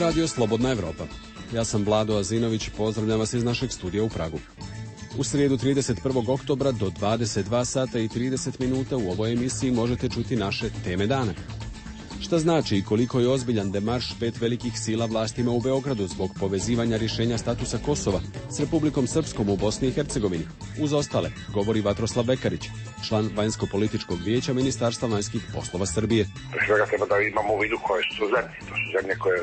radio Slobodna Evropa. Ja sam Vlado Azinović, pozdravljam vas iz našeg studija u Pragu. U srijedu 31. oktobra do 22 sata i 30 minuta u ovoj emisiji možete čuti naše teme dana. Šta znači i koliko je ozbiljan demarš 5 velikih sila vlastima u Beogradu zbog povezivanja rješenja statusa Kosova s Republikom Srpskom u Bosni i Hercegovini? Uz ostale, govori Vatroslav Bekarić, član Vanjsko-političkog vijeća Ministarstva vanjskih poslova Srbije. Pre svega treba da imamo u vidu koje su zemlje. To su zemlje koje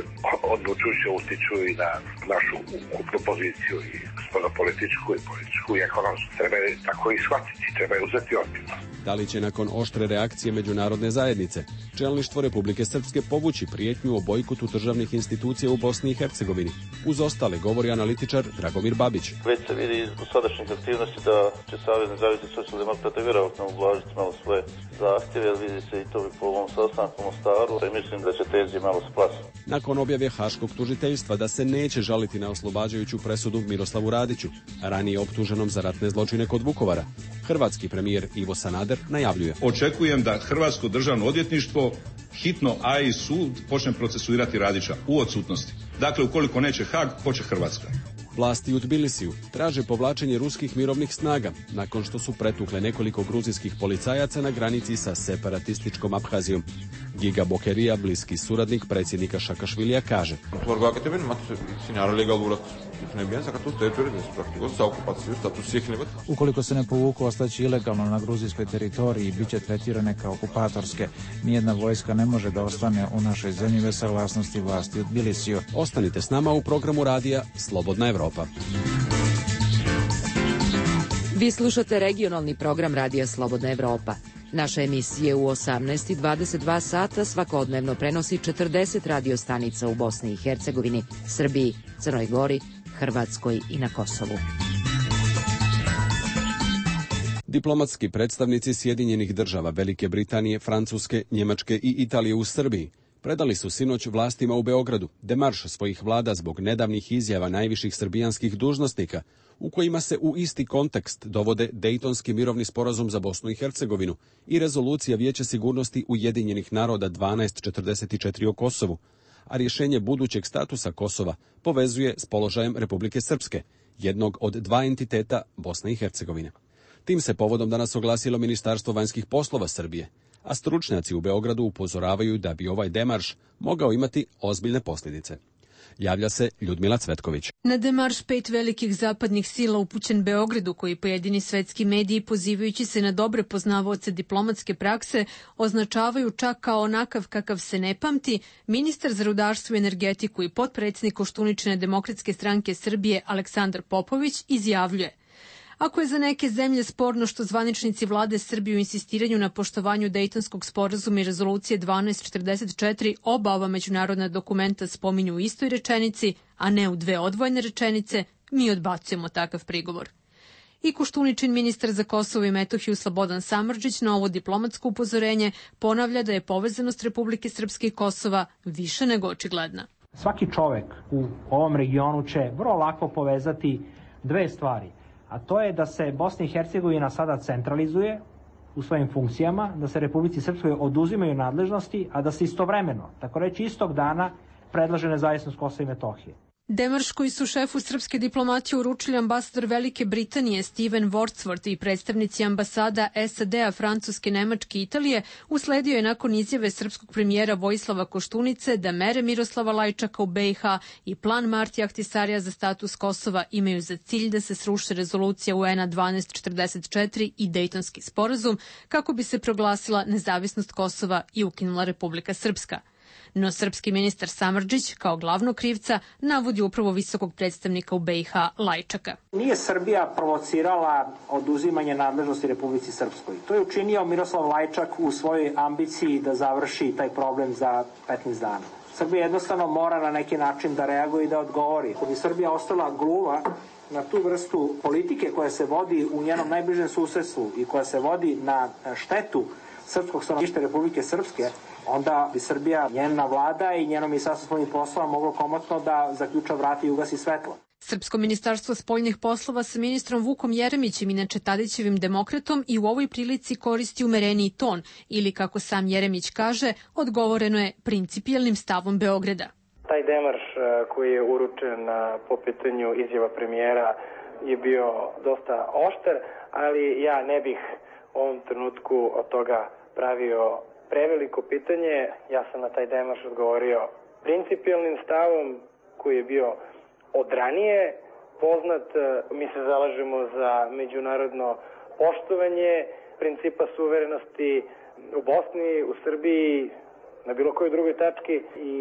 odlučujuće utiču i na našu ukupnu poziciju i spoljnopolitičku i političku i ekonomsku. Treba je tako i shvatiti, treba je uzeti ozbiljno. Da li će nakon oštre reakcije međunarodne zajednice čelništvo Republike Srpske povući prijetnju o bojkotu državnih institucija u Bosni i Hercegovini? Uz ostale govori analitičar Dragomir Babić. Već se vidi iz dosadašnjih aktivnosti da će Savez nezavisnih socijaldemokrata vjerovatno ublažiti malo svoje zahtjeve, jer vidi se i to po ovom sastanku u Mostaru, i mislim da će tenzije malo splasiti. Nakon objave Haškog tužiteljstva da se neće žaliti na oslobađajuću presudu Miroslavu Radiću, ranije optuženom za ratne zločine kod Vukovara, hrvatski premijer Ivo Sanader najavljuje: očekujem da Hrvatsko državno odvjetništvo hitno, a i sud počne procesuirati Radića u odsutnosti. Dakle, ukoliko neće Haag, hoće Hrvatska. Vlasti u Tbilisiju traže povlačenje ruskih mirovnih snaga nakon što su pretukle nekoliko gruzijskih policajaca na granici sa separatističkom Abhazijom. Giga Bokerija, bliski suradnik predsjednika Šakašvilija, kaže: ukoliko se ne povuku, ostaće ilegalno na gruzijskoj teritoriji i bit će tretirane kao okupatorske. Nijedna vojska ne može da ostane u našoj zemlji bez saglasnosti vlasti u Tbilisiju. Ostanite s nama u programu radija Slobodna Evropa. Vi slušate regionalni program radija Slobodna Evropa. Naše emisije u 18 i 22 sata svakodnevno prenosi 40 radiostanica u Bosni i Hercegovini, Srbiji, Crnoj Gori, Hrvatskoj i na Kosovu. Diplomatski predstavnici Sjedinjenih država, Velike Britanije, Francuske, Njemačke i Italije u Srbiji predali su sinoć vlastima u Beogradu demarš svojih vlada zbog nedavnih izjava najviših srbijanskih dužnosnika u kojima se u isti kontekst dovode Dejtonski mirovni sporazum za Bosnu i Hercegovinu i rezolucija Vijeća sigurnosti Ujedinjenih naroda 1244 o Kosovu, a rješenje budućeg statusa Kosova povezuje s položajem Republike Srpske, jednog od dva entiteta Bosne i Hercegovine. Tim se povodom danas oglasilo Ministarstvo vanjskih poslova Srbije, a stručnjaci u Beogradu upozoravaju da bi ovaj demarš mogao imati ozbiljne posljedice. Javlja se Ljudmila Cvetković. Na demarš 5 velikih zapadnih sila upućen Beogradu, koji pojedini svetski mediji, pozivajući se na dobre poznavaoce diplomatske prakse, označavaju čak kao onakav kakav se ne pamti, ministar za rudarstvo i energetiku i potpredsjednik Koštuničine demokratske stranke Srbije Aleksandar Popović izjavljuje: ako je za neke zemlje sporno što zvaničnici vlade Srbije u insistiranju na poštovanju Dejtonskog sporazuma i rezolucije 1244 oba ova međunarodna dokumenta spominju u istoj rečenici, a ne u dve odvojene rečenice, mi odbacujemo takav prigovor. I Koštuničin ministar za Kosovo i Metohiju Slobodan Samardžić na ovo diplomatsko upozorenje ponavlja da je povezanost Republike Srpske i Kosova više nego očigledna. Svaki čovek u ovom regionu će vrlo lako povezati dve stvari. A to je da se Bosna i Hercegovina sada centralizuje u svojim funkcijama, da se Republici Srpskoj oduzimaju nadležnosti, a da se istovremeno, tako reći istog dana, predlaže nezavisnost Kosova i Metohije. Demarš koji su šefu srpske diplomatije uručili ambasador Velike Britanije Steven Wordsworth i predstavnici ambasada SAD-a, Francuske, Nemačke i Italije usledio je nakon izjave srpskog premijera Vojislava Koštunice da mere Miroslava Lajčaka u BiH i plan Martija Ahtisarija za status Kosova imaju za cilj da se sruši rezolucija UN-a 1244 i Dejtonski sporazum kako bi se proglasila nezavisnost Kosova i ukinula Republika Srpska. No srpski ministar Samardžić kao glavnog krivca navodi upravo visokog predstavnika u BiH Lajčaka. Nije Srbija provocirala oduzimanje nadležnosti Republici Srpskoj. To je učinio Miroslav Lajčak u svojoj ambiciji da završi taj problem za 15 dana. Srbija jednostavno mora na neki način da reaguje i da odgovori. Ako bi Srbija ostala gluva na tu vrstu politike koja se vodi u njenom najbližem susedstvu i koja se vodi na štetu srpskog stanovništva Republike Srpske, onda bi Srbija, njena vlada i njeno ministarstvo spoljnih poslova moglo komotno da zaključa vrata i ugasi svetlo. Srpsko ministarstvo spoljnih poslova sa ministrom Vukom Jeremićem, inače Tadićevim demokratom, i u ovoj prilici koristi umereniji ton ili, kako sam Jeremić kaže, odgovoreno je principijelnim stavom Beograda. Taj taj demarš koji je uručen po pitanju izjava premijera je bio dosta oštar, ali ja ne bih u ovom trenutku od toga pravio preveliko pitanje. Ja sam na taj demarš odgovorio principijelnim stavom koji je bio od ranije poznat. Mi se zalažemo za međunarodno poštovanje principa suverenosti u Bosni, u Srbiji, na bilo kojoj drugoj tački i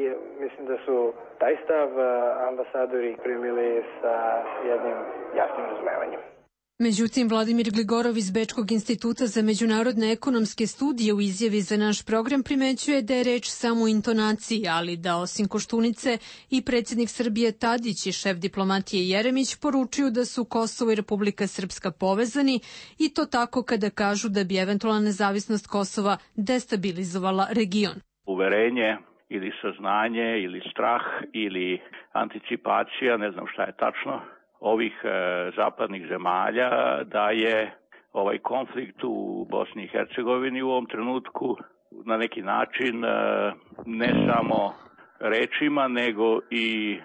mislim da su taj stav ambasadori primili sa jednim jasnim razumevanjem. Međutim, Vladimir Gligorov iz Bečkog instituta za međunarodne ekonomske studije u izjavi za naš program primećuje da je reč samo o intonaciji, ali da osim Koštunice i predsjednik Srbije Tadić i šef diplomatije Jeremić poručuju da su Kosovo i Republika Srpska povezani i to tako kada kažu da bi eventualna nezavisnost Kosova destabilizovala region. Uverenje ili saznanje ili strah ili anticipacija, ne znam šta je tačno, ovih zapadnih zemalja da je ovaj konflikt u Bosni i Hercegovini u ovom trenutku na neki način ne samo rečima nego i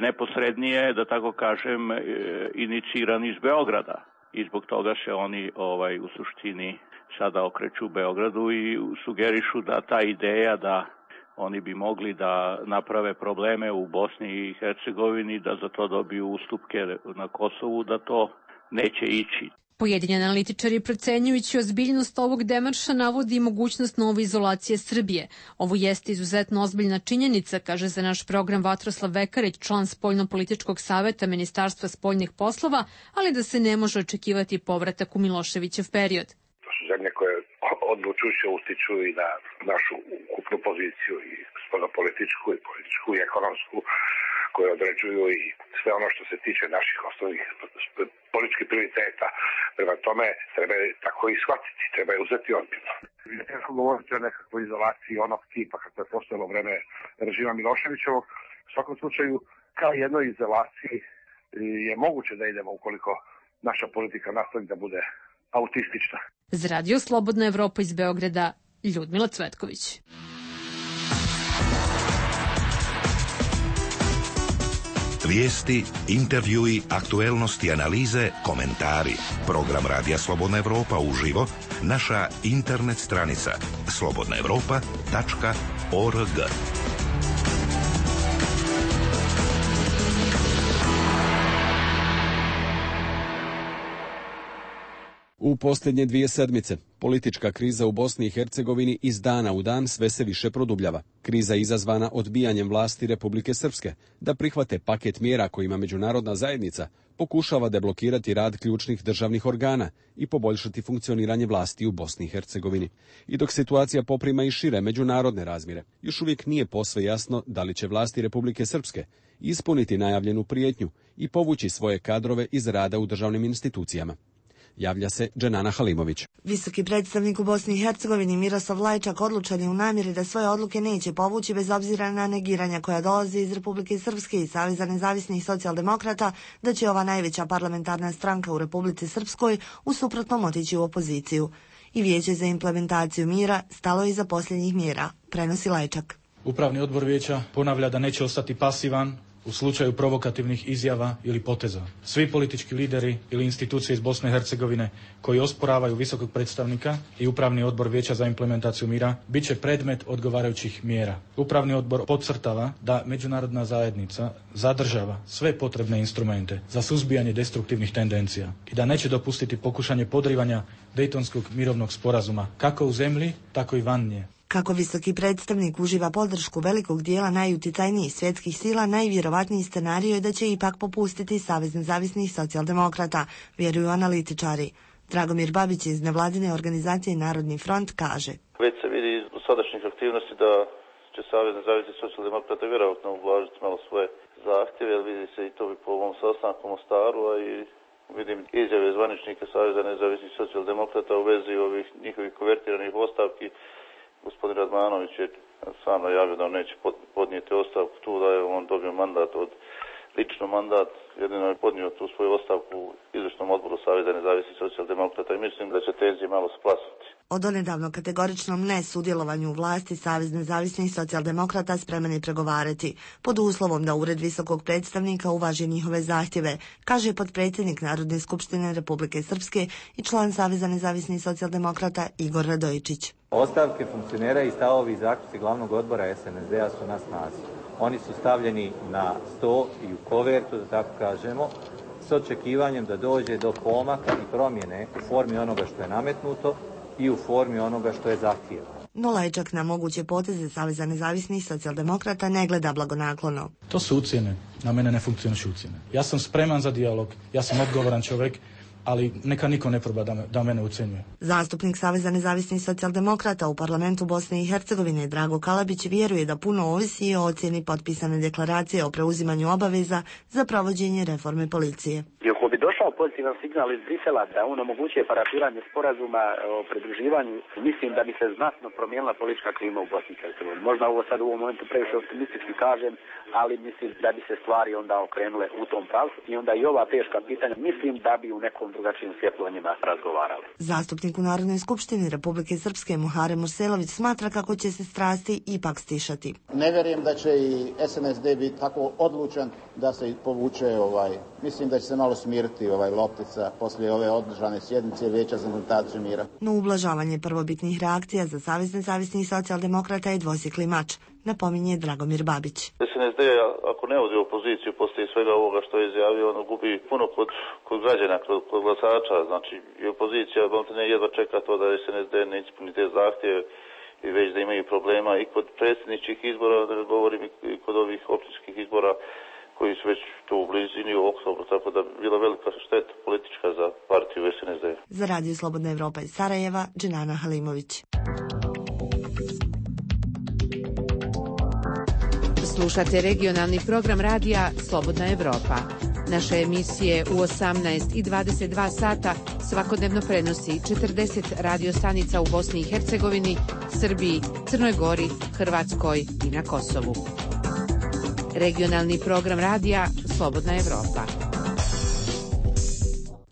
neposrednije, da tako kažem, iniciran iz Beograda. I zbog toga se oni u suštini sada okreću Beogradu i sugerišu da ta ideja da oni bi mogli da naprave probleme u Bosni i Hercegovini, da za to dobiju ustupke na Kosovu, da to neće ići. Pojedini analitičari procenjujući ozbiljnost ovog demarša navodi i mogućnost nove izolacije Srbije. Ovo jeste izuzetno ozbiljna činjenica, kaže za naš program Vatroslav Vekarić, član Spoljno-političkog saveta Ministarstva spoljnih poslova, ali da se ne može očekivati povratak u Miloševićev period. To su zemlje koje odlučujuće utiču i na našu ukupnu poziciju i spoljno-političku i političku i ekonomsku, koje određuju i sve ono što se tiče naših osnovnih političkih prioriteta. Prema tome treba tako i shvatiti, treba je uzeti ozbiljno. Je teško govoriti o nekakvoj izolaciji onog tipa kako je postojalo u vreme režima Miloševićevog. U svakom slučaju, kao jednoj izolaciji je moguće da idemo ukoliko naša politika nastavi da bude autistična. Za Radio Slobodna Evropa iz Beograda, Ljudmila Cvetković. Vijesti, intervjui, aktuelnosti, analize, komentari. Program Radija Slobodna Evropa uživo, naša internet stranica slobodnaevropa.org. U posljednje 2 sedmice politička kriza u Bosni i Hercegovini iz dana u dan sve se više produbljava. Kriza je izazvana odbijanjem vlasti Republike Srpske da prihvate paket mjera kojima međunarodna zajednica pokušava deblokirati rad ključnih državnih organa i poboljšati funkcioniranje vlasti u Bosni i Hercegovini. I dok situacija poprima i šire međunarodne razmjere, još uvijek nije posve jasno da li će vlasti Republike Srpske ispuniti najavljenu prijetnju i povući svoje kadrove iz rada u državnim institucijama. Javlja se Dženana Halimović. Visoki predstavnik u Bosni i Hercegovini Miroslav Lajčak odlučan je u namjeri da svoje odluke neće povući bez obzira na negiranja koja dolazi iz Republike Srpske i Saveza nezavisnih socijaldemokrata, da će ova najveća parlamentarna stranka u Republici Srpskoj u suprotnom otići u opoziciju. I Vijeće za implementaciju mira stalo je iza posljednjih mjera, prenosi Lajčak. Upravni odbor vijeća ponavlja da neće ostati pasivan u slučaju provokativnih izjava ili poteza. Svi politički lideri ili institucije iz Bosne i Hercegovine koji osporavaju visokog predstavnika i Upravni odbor Vijeća za implementaciju mira bit će predmet odgovarajućih mjera. Upravni odbor podcrtava da međunarodna zajednica zadržava sve potrebne instrumente za suzbijanje destruktivnih tendencija i da neće dopustiti pokušanje podrivanja Dejtonskog mirovnog sporazuma kako u zemlji, tako i van nje. Kako visoki predstavnik uživa podršku velikog dijela najuticajnijih svjetskih sila, najvjerovatniji scenarij je da će ipak popustiti Savez nezavisnih socijaldemokrata, vjeruju analitičari. Dragomir Babić iz nevladine organizacije Narodni front kaže: Već se vidi iz sadašnjih aktivnosti da će Savez nezavisnih socijaldemokrata vjerojatno ublažiti malo svoje zahtjeve, jer vidi se i to po ovom sastanku u Mostaru, a i vidim izjave zvaničnika Saveza nezavisnih socijaldemokrata u vezi ovih njihovih konvertiranih ostavki. Gospodin Radmanović je sam najavio da on neće podnijeti ostavku tu, da je on dobio mandat od lično mandat, jedino je podnio tu svoju ostavku u izvršnom odboru Saveza nezavisnih socijaldemokrata i mislim da će tenzije malo splasnuti. O donedavno kategoričnom nesudjelovanju u vlasti Savez nezavisnih socijaldemokrata spreman je pregovarati, pod uslovom da Ured visokog predstavnika uvaži njihove zahtjeve, kaže potpredsjednik Narodne skupštine Republike Srpske i član Saveza nezavisnih socijaldemokrata Igor Radojičić. Ostavke funkcionera i stavovi zaključci glavnog odbora SNSD-a su na snazi. Oni su stavljeni na sto i u kovertu, da tako kažemo, s očekivanjem da dođe do pomaka i promjene u formi onoga što je nametnuto i u formi onoga što je zahtjevano. No Lajčak na moguće poteze Saveza nezavisnih socijaldemokrata ne gleda blagonaklono. To su ucjene, na mene ne funkcionišu ucjene. Ja sam spreman za dijalog, ja sam odgovoran čovjek, ali neka niko ne proba da mene ucenjuje. Zastupnik Saveza nezavisnih socijaldemokrata u parlamentu Bosne i Hercegovine Drago Kalabić vjeruje da puno ovisi i o ocjeni potpisane deklaracije o preuzimanju obaveza za provođenje reforme policije. Ako bi došao pozitivan signal iz Brisela da on omogućuje parafiranje sporazuma o pridruživanju, mislim da bi se znatno promijenila politička klima u Bosni i Hercegovini. Možda ovo sad u ovom momentu previše optimistički kažem, ali mislim da bi se stvari onda okrenule u tom pravcu i onda i ova teška pitanja mislim da bi u nekom drugačijem svjetlu o njima razgovarali. Zastupnik u Narodnoj skupštini Republike Srpske Muharem Urselović smatra kako će se strasti ipak stišati. Ne vjerujem da će i SNSD biti tako odlučan da se povuče mislim da će se malo smiriti loptica poslije ove održane sjednice Vijeća za implementaciju mira. No ublažavanje prvobitnih reakcija za Savez nezavisnih socijaldemokrata je dvosjekli mač, napominje Dragomir Babić. SNSD, ako ne odi opoziciju poslije svega ovoga što je izjavio, ono gubi puno kod građana, kod glasača. Znači i opozicija jedva čeka to da SNSD ne ispuni te zahtjeve i već da imaju problema i kod predsjedničkih izbora, da ne govorim i kod ovih općinskih izbora koji su već tu u blizini u oktobru, tako da bila velika šteta politička za partiju SNSD. Za Radio Slobodna Evropa iz Sarajeva, Dženana Halimović. Slušate regionalni program radija Slobodna Evropa. Naše emisije u 18 i 22 sata svakodnevno prenosi 40 radiostanica u Bosni i Hercegovini, Srbiji, Crnoj Gori, Hrvatskoj i na Kosovu. Regionalni program radija Slobodna Evropa.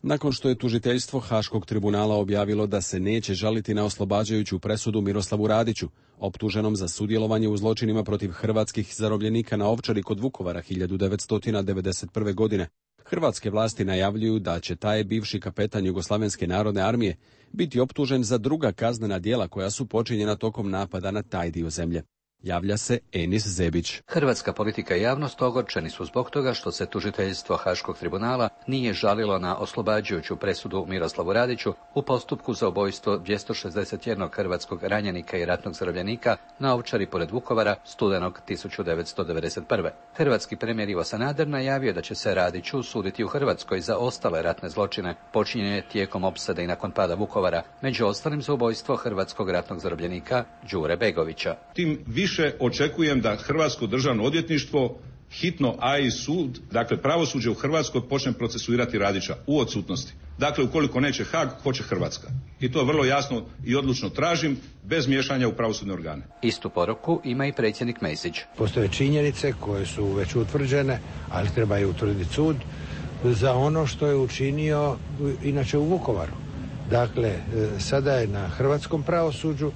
Nakon što je tužiteljstvo Haškog tribunala objavilo da se neće žaliti na oslobađajuću presudu Miroslavu Radiću, optuženom za sudjelovanje u zločinima protiv hrvatskih zarobljenika na Ovčari kod Vukovara 1991. godine, hrvatske vlasti najavljuju da će taj bivši kapetan Jugoslavenske narodne armije biti optužen za druga kaznena djela koja su počinjena tokom napada na taj dio zemlje. Javlja se Enis Zebić. Hrvatska politika i javnost ogorčeni su zbog toga što se tužiteljstvo Haškog tribunala nije žalilo na oslobađajuću presudu Miroslavu Radiću u postupku za ubojstvo 261 hrvatskog ranjenika i ratnog zarobljenika na Ovčari pored Vukovara studenog 1991. Hrvatski premijer Ivo Sanader najavio da će se Radiću suditi u Hrvatskoj za ostale ratne zločine počinjene tijekom opsade i nakon pada Vukovara, među ostalim za ubojstvo hrvatskog ratnog zarobljenika Đure Begovića. Tim više očekujem da Hrvatsko državno odvjetništvo hitno, a i sud, dakle pravosuđe u Hrvatskoj počne procesuirati Radića u odsutnosti. Dakle, ukoliko neće Haag, hoće Hrvatska. I to vrlo jasno i odlučno tražim, bez miješanja u pravosudne organe. Istu poruku ima i predsjednik Mesić. Postoje činjenice koje su već utvrđene, ali treba je utvrditi sud za ono što je učinio inače u Vukovaru. Dakle, sada je na hrvatskom pravosuđu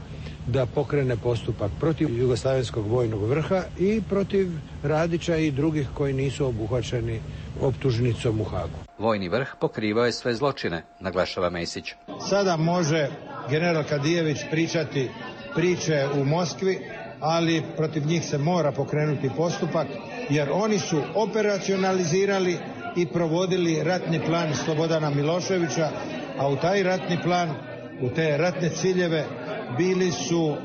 da pokrene postupak protiv Jugoslavenskog vojnog vrha i protiv Radića i drugih koji nisu obuhvaćeni optužnicom u Haagu. Vojni vrh pokrivao je sve zločine, naglašava Mesić. Sada može general Kadijević pričati priče u Moskvi, ali protiv njih se mora pokrenuti postupak, jer oni su operacionalizirali i provodili ratni plan Slobodana Miloševića, a u taj ratni plan, u te ratne ciljeve bili su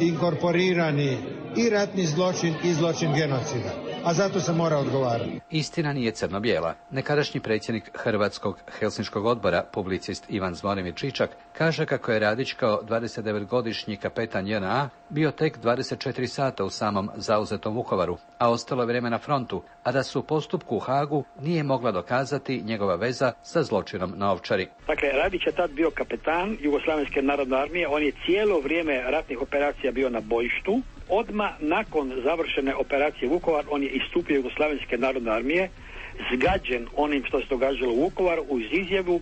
inkorporirani i ratni zločin i zločin genocida, a zato se mora odgovarati. Istina nije crno-bijela. Nekadašnji predsjednik Hrvatskog Helsinškog odbora, publicist Ivan Zvonimir Čičak, kaže kako je Radić kao 29-godišnji kapetan JNA bio tek 24 sata u samom zauzetom Vukovaru, a ostalo je vrijeme na frontu, a da su u postupku u Haagu nije mogla dokazati njegova veza sa zločinom na Ovčari. Dakle, Radić je tad bio kapetan Jugoslavenske narodne armije, on je cijelo vrijeme ratnih operacija bio na bojištu. odmah nakon završene operacije Vukovar on je istupio Jugoslavenske narodne armije, zgađen onim što se događalo u Vukovaru, uz izjavu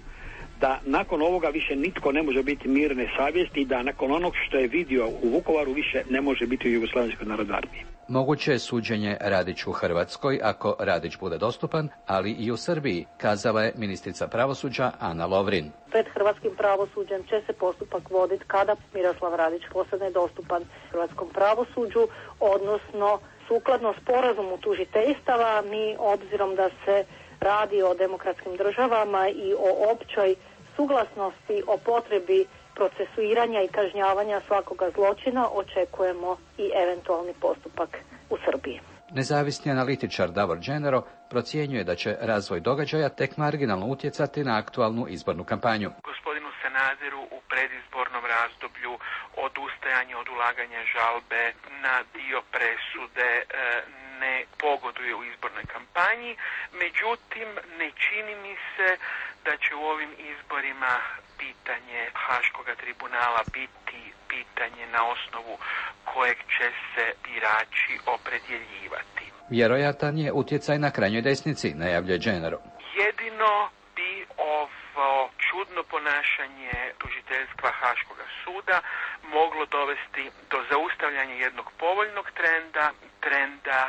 da nakon ovoga više nitko ne može biti mirne savjesti i da nakon onog što je vidio u Vukovaru više ne može biti u Jugoslavenskoj narodnoj armiji. Moguće je suđenje Radiću u Hrvatskoj ako Radić bude dostupan, ali i u Srbiji, kazala je ministrica pravosuđa Ana Lovrin. Pred hrvatskim pravosuđem će se postupak voditi kada Miroslav Radić postane dostupan hrvatskom pravosuđu, odnosno sukladno sporazumu tužiteljstava. Mi, obzirom da se radi o demokratskim državama i o općoj suglasnosti o potrebi procesuiranja i kažnjavanja svakoga zločina, očekujemo i eventualni postupak u Srbiji. Nezavisni analitičar Davor Đenero procjenjuje da će razvoj događaja tek marginalno utjecati na aktualnu izbornu kampanju. Gospodinu Sanaderu u predizbornom razdoblju odustajanje od ulaganja žalbe na dio presude ne pogoduje u izbornoj kampanji, međutim ne čini mi se da će u ovim izborima pitanje Haškoga tribunala biti pitanje na osnovu kojeg će se birači opredjeljivati. Vjerojatan je utjecaj na krajnjoj desnici, najavljuje Đenero. Jedino bi ovo čudno ponašanje tužiteljstva Haškoga suda moglo dovesti do zaustavljanja jednog povoljnog trenda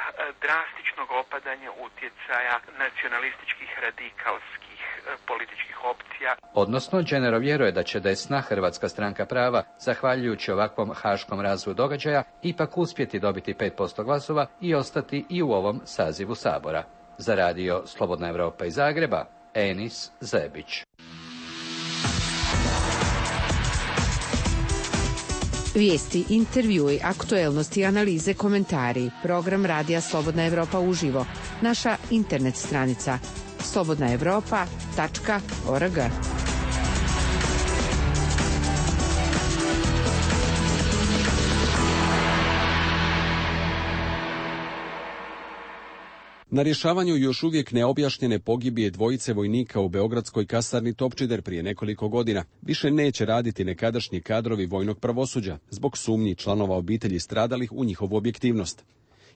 drastičnog opadanja utjecaja nacionalističkih radikalskih političkih opcija. Odnosno, Đenero vjeruje da će desna Hrvatska stranka prava, zahvaljujući ovakvom haškom razvoju događaja, ipak uspjeti dobiti 5% glasova i ostati i u ovom sazivu Sabora. Za radio Slobodna Evropa iz Zagreba, Enis Zebić. Vijesti, intervjui, aktuelnosti, analize, komentari. Program Radija Slobodna Evropa uživo. Naša internet stranica slobodnaevropa.org. Na rješavanju još uvijek neobjašnjene pogibije dvojice vojnika u beogradskoj kasarni Topčider prije nekoliko godina više neće raditi nekadašnji kadrovi vojnog pravosuđa zbog sumnji članova obitelji stradalih u njihovu objektivnost.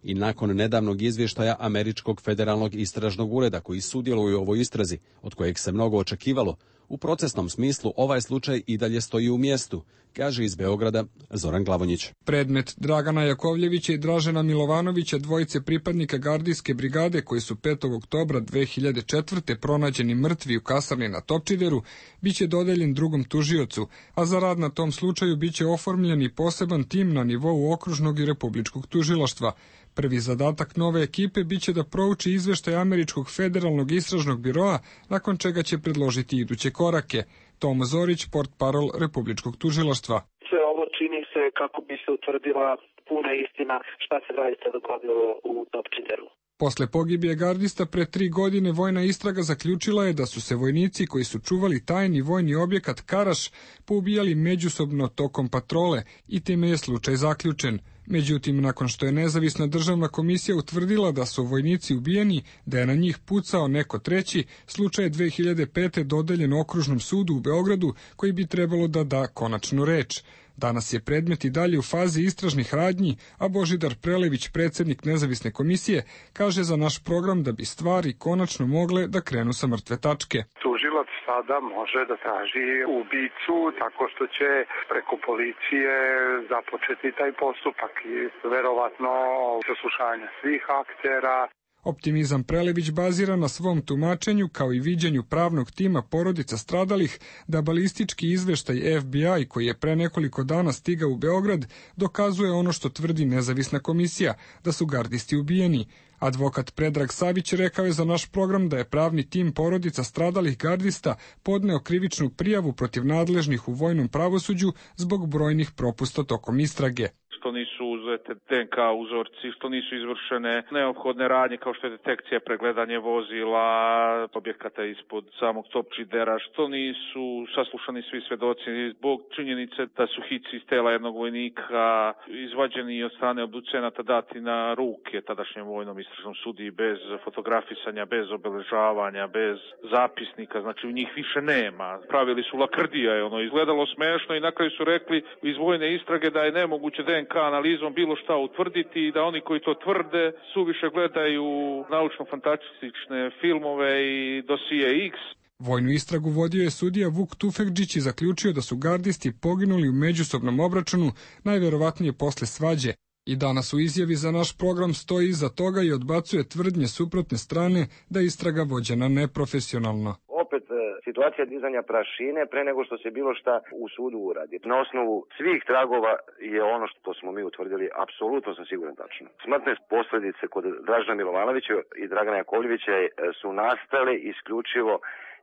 I nakon nedavnog izvještaja Američkog federalnog istražnog ureda koji sudjeluju u ovoj istrazi, od kojeg se mnogo očekivalo, u procesnom smislu ovaj slučaj i dalje stoji u mjestu, kaže iz Beograda Zoran Glavonjić. Predmet Dragana Jakovljevića i Dražena Milovanovića, dvojice pripadnika gardijske brigade koji su 5. oktobra 2004. pronađeni mrtvi u kasarni na Topčideru, biće dodeljen drugom tužiocu, a za rad na tom slučaju biće oformljen i poseban tim na nivou okružnog i republičkog tužilaštva. Prvi zadatak nove ekipe biće da prouči izveštaj Američkog federalnog istražnog biroa, nakon čega će predložiti iduće korake. Tom Zorić, portparol republičkog tužilaštva. Sve ovo čini se kako bi se utvrdila puna istina šta se zaista dogodilo u Topčideru. Posle pogibije gardista pre 3 godine vojna istraga zaključila je da su se vojnici koji su čuvali tajni vojni objekat Karaš poubijali međusobno tokom patrole i time je slučaj zaključen. Međutim, nakon što je nezavisna državna komisija utvrdila da su vojnici ubijeni, da je na njih pucao neko treći, slučaj je 2005. dodeljen Okružnom sudu u Beogradu koji bi trebalo da da konačnu reč. Danas je predmet i dalje u fazi istražnih radnji, a Božidar Prelević, predsjednik nezavisne komisije, kaže za naš program da bi stvari konačno mogle da krenu sa mrtve tačke. Tužilac sada može da traži ubicu tako što će preko policije započeti taj postupak i verovatno saslušanje svih aktera. Optimizam Prelević bazira na svom tumačenju kao i viđenju pravnog tima porodica stradalih da balistički izveštaj FBI koji je pre nekoliko dana stigao u Beograd dokazuje ono što tvrdi nezavisna komisija, da su gardisti ubijeni. Advokat Predrag Savić rekao je za naš program da je pravni tim porodica stradalih gardista podneo krivičnu prijavu protiv nadležnih u vojnom pravosuđu zbog brojnih propusta tokom istrage. Što nisu uzete DNK uzorci, što nisu izvršene neophodne radnje kao što je detekcija, pregledanje vozila, objekata ispod samog Topčidera, što nisu saslušani svi svedoci zbog činjenice da su hici iz tela jednog vojnika izvađeni od strane obducenata dati na ruke tadašnjem vojnom istražnom sudiji bez fotografisanja, bez obeležavanja, bez zapisnika, znači u njih više nema. Pravili su lakrdija, je izgledalo smešno i na kraju su rekli iz vojne istrage da je nemoguće DNK DNK analizom bilo šta utvrditi i da oni koji to tvrde suviše gledaju naučno-fantastične filmove i dosije X. Vojnu istragu vodio je sudija Vuk Tufekđić i zaključio da su gardisti poginuli u međusobnom obračunu, najverovatnije posle svađe. I danas u izjavi za naš program stoji iza toga i odbacuje tvrdnje suprotne strane da je istraga vođena neprofesionalno. Opet situacija dizanja prašine pre nego što se bilo šta u sudu uradi. Na osnovu svih tragova je ono što smo mi utvrdili, apsolutno sam siguran tačno. Smrtne posljedice kod Dražena Milovanovića i Dragana Jakovljevića su nastale isključivo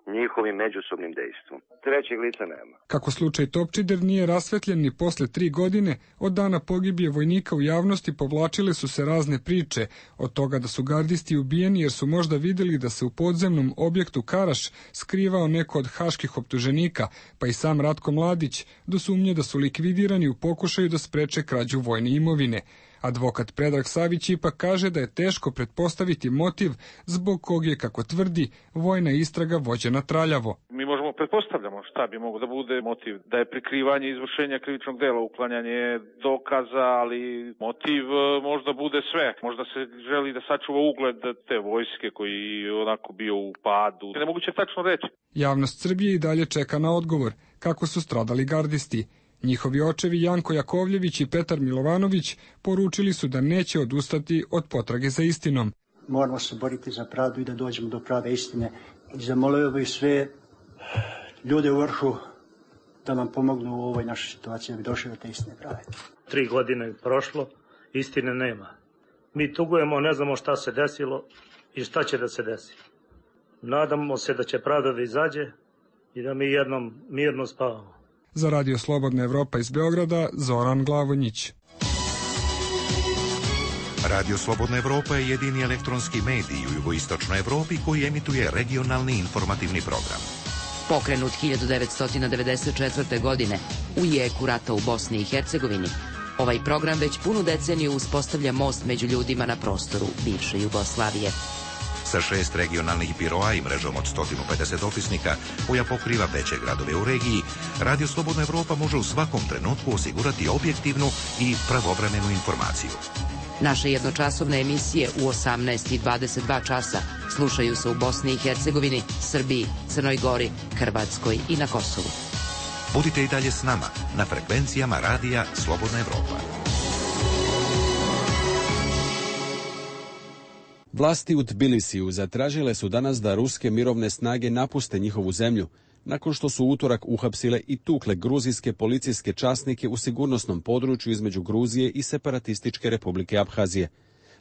njihovim međusobnim dejstvom. Trećeg lica nema. Kako slučaj Topčider nije rasvetljen ni posle 3 godine, od dana pogibije vojnika u javnosti povlačile su se razne priče, od toga da su gardisti ubijeni jer su možda vidjeli da se u podzemnom objektu Karaš skrivao neko od haških optuženika, pa i sam Ratko Mladić, do sumnje da su likvidirani u pokušaju da spreče krađu vojne imovine. Advokat Predrag Savić ipak kaže da je teško pretpostaviti motiv zbog kog je, kako tvrdi, vojna istraga vođena traljavo. Mi možemo pretpostavljamo šta bi moglo da bude motiv, da je prikrivanje izvršenja krivičnog dela, uklanjanje dokaza, ali motiv možda bude sve. Možda se želi da sačuva ugled te vojske koji je onako bio u padu. Nemoguće tačno reći. Javnost Srbije i dalje čeka na odgovor kako su stradali gardisti. Njihovi očevi Janko Jakovljević i Petar Milovanović poručili su da neće odustati od potrage za istinom. Moramo se boriti za pravdu i da dođemo do prave istine. I zamolio bih sve ljude u vrhu da nam pomognu u ovoj našoj situaciji da bi došli do te istine prave. 3 godine je prošlo, istine nema. Mi tugujemo, ne znamo šta se desilo i šta će da se desi. Nadamo se da će pravda da izađe i da mi jednom mirno spavamo. Za Radio Slobodna Evropa iz Beograda, Zoran Glavonjić. Radio Slobodna Evropa je jedini elektronski medij u jugoistočnoj Evropi koji emituje regionalni informativni program. Pokrenut 1994. godine u jeku rata u Bosni i Hercegovini, ovaj program već punu deceniju uspostavlja most među ljudima na prostoru bivše Jugoslavije. Sa 6 regionalnih biroa i mrežom od 150 dopisnika koja pokriva veće gradove u regiji, Radio Slobodna Evropa može u svakom trenutku osigurati objektivnu i pravovremenu informaciju. Naše jednočasovne emisije u 18 i 22 časa slušaju se u Bosni i Hercegovini, Srbiji, Crnoj Gori, Hrvatskoj i na Kosovu. Budite i dalje s nama na frekvencijama Radija Slobodna Evropa. Vlasti u Tbilisiju zatražile su danas da ruske mirovne snage napuste njihovu zemlju, nakon što su utorak uhapsile i tukle gruzijske policijske časnike u sigurnosnom području između Gruzije i separatističke republike Abhazije.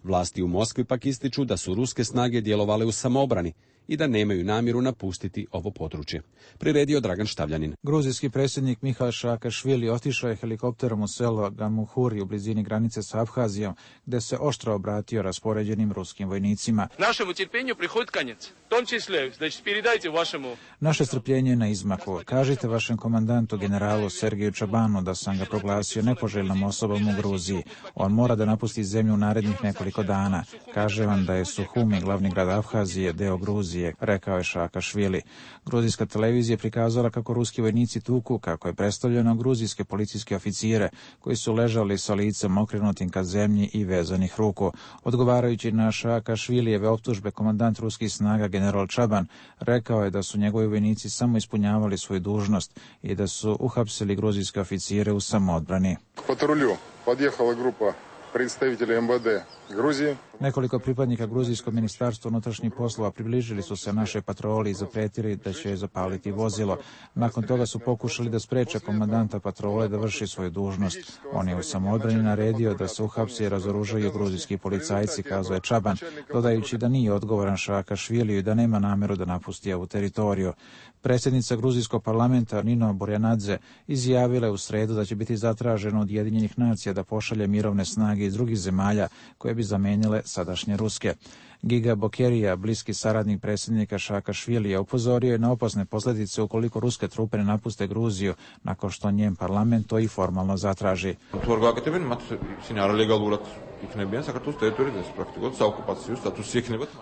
Vlasti u Moskvi pak ističu da su ruske snage djelovale u samoobrani i da nemaju namjeru napustiti ovo područje. Priredio Dragan Štavljanin. Gruzijski predsjednik Mihail Saakašvili otišao je helikopterom u selo Gamuhuri u blizini granice sa Abhazijom, gde se oštro obratio raspoređenim ruskim vojnicima. Našemu trpljenju prihod konec. Tom čisle, znači передайте vašemu. Naše strpljenje je na izmaku. Kažite vašem komandantu generalu Sergeju Čabanu da sam ga proglasio nepoželjnom osobom u Gruziji. On mora da napusti zemlju u narednih nekoliko dana. Kaže vam da je Suhumi, glavni grad Abhazije, deo Gruzije, rekao je Saakašvili. Gruzijska televizija prikazala kako ruski vojnici tuku, kako je predstavljeno, gruzijske policijske oficire koji su ležali sa licem okrenutim ka zemlji i vezanih ruku. Odgovarajući na Saakašvilijeve optužbe, komandant ruskih snaga general Čaban rekao je da su njegovi vojnici samo ispunjavali svoju dužnost i da su uhapsili gruzijske oficire u samoodbrani. Patrulju podjehala grupa predstavitelja MVD Gruzije. Nekoliko pripadnika Gruzijskog ministarstva unutrašnjih poslova približili su se našoj patroli i zapretili da će zapaliti vozilo. Nakon toga su pokušali da spreče komandanta patrole da vrši svoju dužnost. On je u samoodbrani naredio da se uhapsi i razoružaju gruzijski policajci, kazao je Čaban, dodajući da nije odgovoran Saakašviliju i da nema nameru da napusti ovu teritoriju. Predsjednica Gruzijskog parlamenta Nino Burjanadze izjavila je u sredu da će biti zatraženo od Ujedinjenih nacija da pošalje mirovne snage iz drugih zemalja koje bi zamenile sadašnje ruske. Giga Bokerija, bliski saradnik predsjednika Saakašvilija, upozorio je na opasne posljedice ukoliko ruske trupe ne napuste Gruziju, nakon što njen parlament to i formalno zatraži.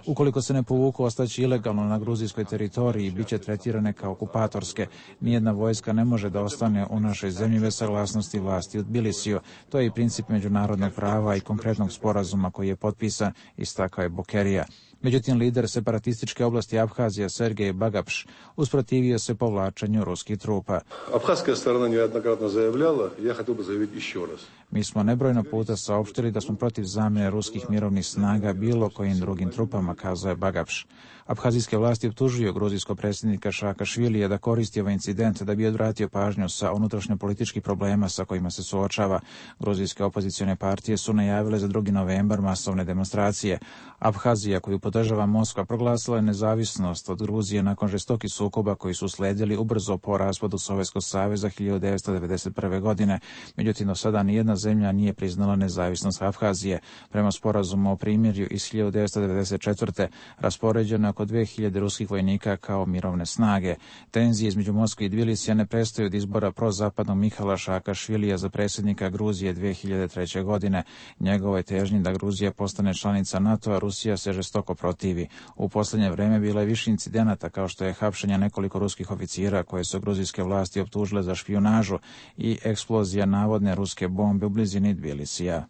Ukoliko se ne povuku, ostaće ilegalno na gruzijskoj teritoriji i bit će tretirane kao okupatorske. Nijedna vojska ne može da ostane u našoj zemlji bez saglasnosti vlasti u Tbilisiju. To je i princip međunarodnog prava i konkretnog sporazuma koji je potpisan, istakao je Bokerija. Međutim, lider separatističke oblasti Abhazija Sergej Bagapš usprotivio se povlačenju ruskih trupa. Abhazska strana nejednokratno zajavljala, ja хотел бы заявить еще раз. Mi smo nebrojno puta saopštili da smo protiv zamjene ruskih mirovnih snaga bilo kojim drugim trupama, kazao je Bagapš. Abhazijske vlasti optužuju gruzijskog predsjednika Saakašvilija da koristi ovaj incident da bi odvratio pažnju sa unutrašnjopolitičkih problema sa kojima se suočava. Gruzijske opozicione partije su najavile za 2. novembar masovne demonstracije. Abhazija, koju podržava Moskva, proglasila je nezavisnost od Gruzije nakon žestokih sukoba koji su sledili ubrzo po raspadu Sovjetskog saveza 1991. godine. Međutim, do sada nijedna zemlja nije priznala nezavisnost Abhazije. Prema sporazumu o primirju iz 1994. raspoređeno oko 2000 ruskih vojnika kao mirovne snage. Tenzije između Moskve i Tbilisija ne prestaju od izbora prozapadnog Mihala Saakašvilija za predsjednika Gruzije 2003. godine. Njegovoj težnji da Gruzija postane članica NATO-a Rusija se žestoko protivi. U posljednje vreme bilo je više incidenata kao što je hapšenje nekoliko ruskih oficira koje su gruzijske vlasti optužile za špijunažu i eksplozija navodne ruske bombe u blizini Tbilisija.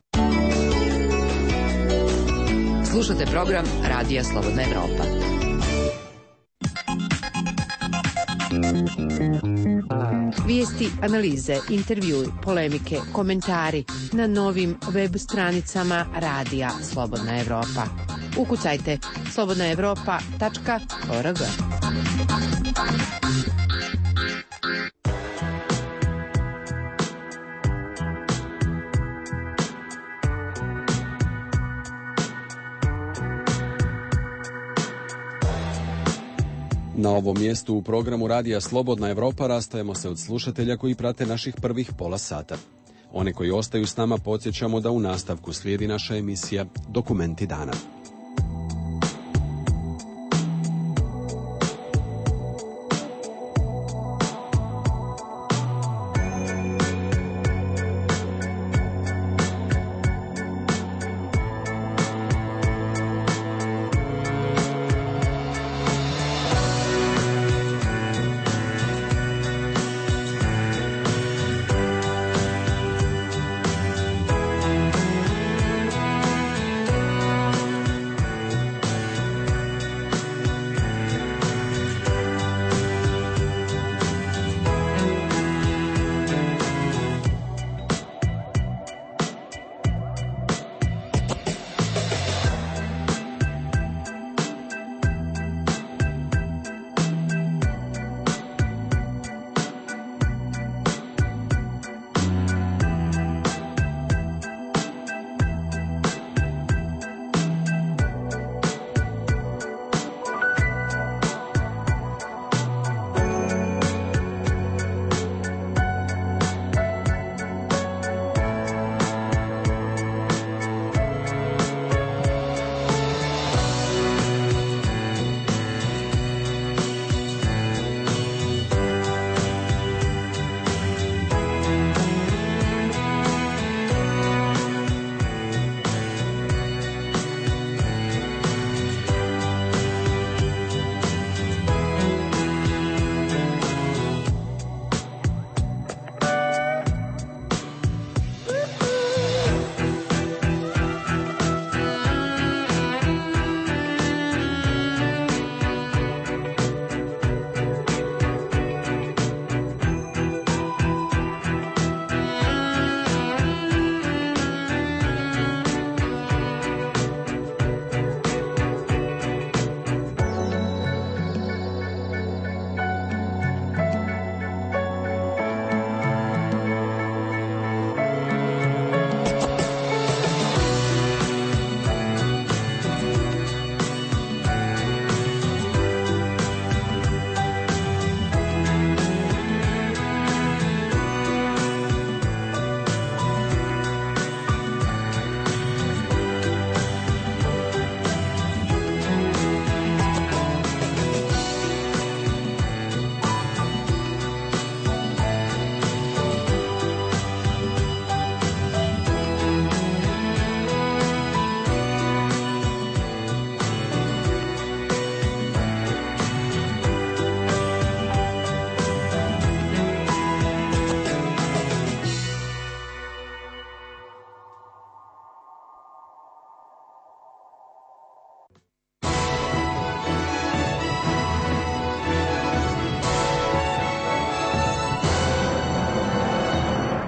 Slušate program Radija Slobodna Evropa. Vijesti, analize, intervjui, polemike, komentari na novim web stranicama Radija Slobodna Evropa. Ukucajte slobodnaevropa.org. Na ovom mjestu u programu Radija Slobodna Evropa rastajemo se od slušatelja koji prate naših prvih pola sata. One koji ostaju s nama podsjećamo da u nastavku slijedi naša emisija Dokumenti dana.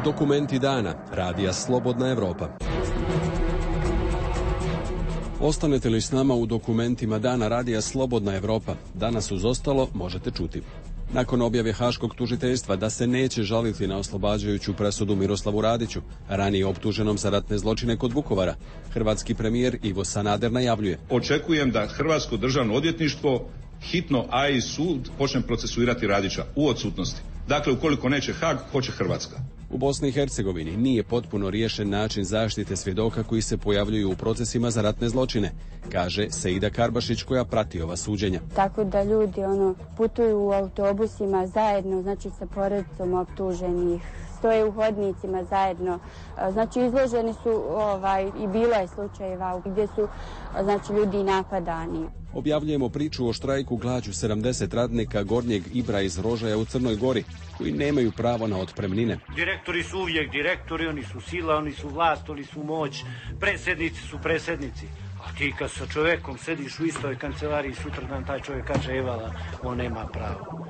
Dokumenti dana, radija Slobodna Evropa. Ostanete li s nama u dokumentima dana radija Slobodna Evropa? Danas uz ostalo možete čuti. Nakon objave Haškog tužiteljstva da se neće žaliti na oslobađajuću presudu Miroslavu Radiću, ranije optuženom za ratne zločine kod Vukovara, hrvatski premijer Ivo Sanader najavljuje: očekujem da Hrvatsko državno odvjetništvo hitno, a i sud počne procesuirati Radića u odsutnosti. Dakle, ukoliko neće Haag, hoće Hrvatska. U Bosni i Hercegovini nije potpuno riješen način zaštite svjedoka koji se pojavljuju u procesima za ratne zločine, kaže Seida Karbašić koja prati ova suđenja. Tako da ljudi putuju u autobusima zajedno, znači sa porodicom optuženih, stoje u hodnicima zajedno, znači izloženi su i bilo je slučajeva gdje su ljudi napadani. Objavljujemo priču o štrajku glađu 70 radnika Gornjeg Ibra iz Rožaja u Crnoj Gori, koji nemaju pravo na otpremnine. Direktori su uvijek direktori, oni su sila, oni su vlast, oni su moć, predsjednici su predsjednici. A ti kad sa čovjekom sediš u istoj kancelariji, sutradan taj čovjek kaže evala, on nema pravo.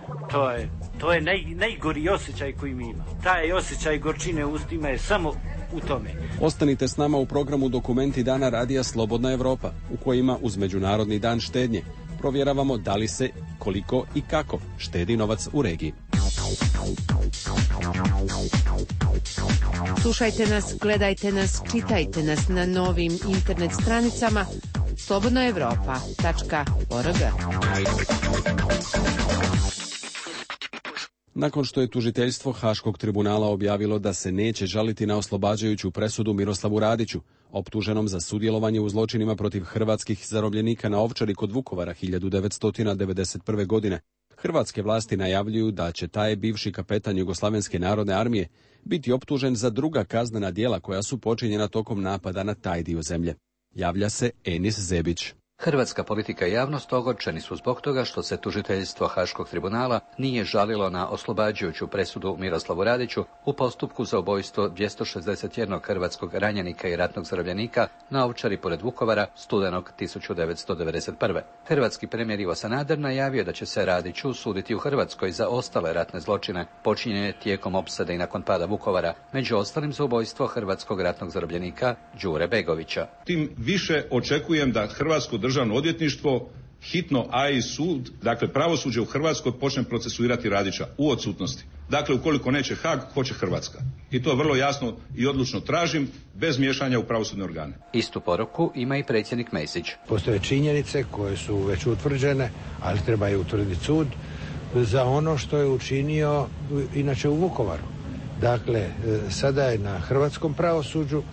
To je najgori osjećaj koji mi ima. Taj osjećaj gorčine u ustima je samo u tome. Ostanite s nama u programu Dokumenti dana radija Slobodna Evropa, u kojima uz Međunarodni dan štednje provjeravamo da li se, koliko i kako štedi novac u regiji. Slušajte nas, gledajte nas, čitajte nas na novim internet stranicama slobodnoevropa.org. Nakon što je tužiteljstvo Haškog tribunala objavilo da se neće žaliti na oslobađajuću presudu Miroslavu Radiću, optuženom za sudjelovanje u zločinima protiv hrvatskih zarobljenika na Ovčari kod Vukovara 1991. godine, hrvatske vlasti najavljuju da će taj bivši kapetan Jugoslavenske narodne armije biti optužen za druga kaznena djela koja su počinjena tokom napada na taj dio zemlje. Javlja se Enis Zebić. Hrvatska politika i javnost ogorčeni su zbog toga što se tužiteljstvo Haškog tribunala nije žalilo na oslobađajuću presudu Miroslavu Radiću u postupku za ubojstvo 261 hrvatskog ranjenika i ratnog zarobljenika na Ovčari pored Vukovara studenog 1991. Hrvatski premijer Ivo Sanader najavio da će se Radiću suditi u Hrvatskoj za ostale ratne zločine počinjene tijekom opsade i nakon pada Vukovara, među ostalim za ubojstvo hrvatskog ratnog zarobljenika Đure Begovića. Tim više očekujem da Hrvatsko državno odvjetništvo hitno, a i sud, dakle pravosuđe u Hrvatskoj počne procesuirati Radića u odsutnosti. Dakle, ukoliko neće Haag, hoće Hrvatska. I to vrlo jasno i odlučno tražim, bez miješanja u pravosudne organe. Istu poruku ima i predsjednik Mesić. Postoje činjenice koje su već utvrđene, ali treba je utvrditi sud za ono što je učinio inače u Vukovaru. Dakle, sada je na hrvatskom pravosuđu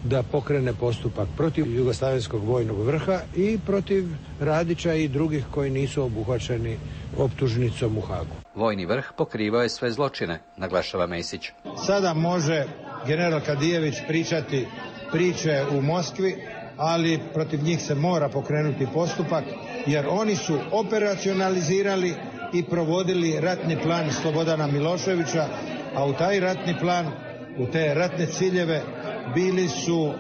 da pokrene postupak protiv Jugoslavenskog vojnog vrha i protiv Radića i drugih koji nisu obuhvaćeni optužnicom u Haagu. Vojni vrh pokrivao je sve zločine, naglašava Mesić. Sada može general Kadijević pričati priče u Moskvi, ali protiv njih se mora pokrenuti postupak, jer oni su operacionalizirali i provodili ratni plan Slobodana Miloševića, a u taj ratni plan, u te ratne ciljeve bili su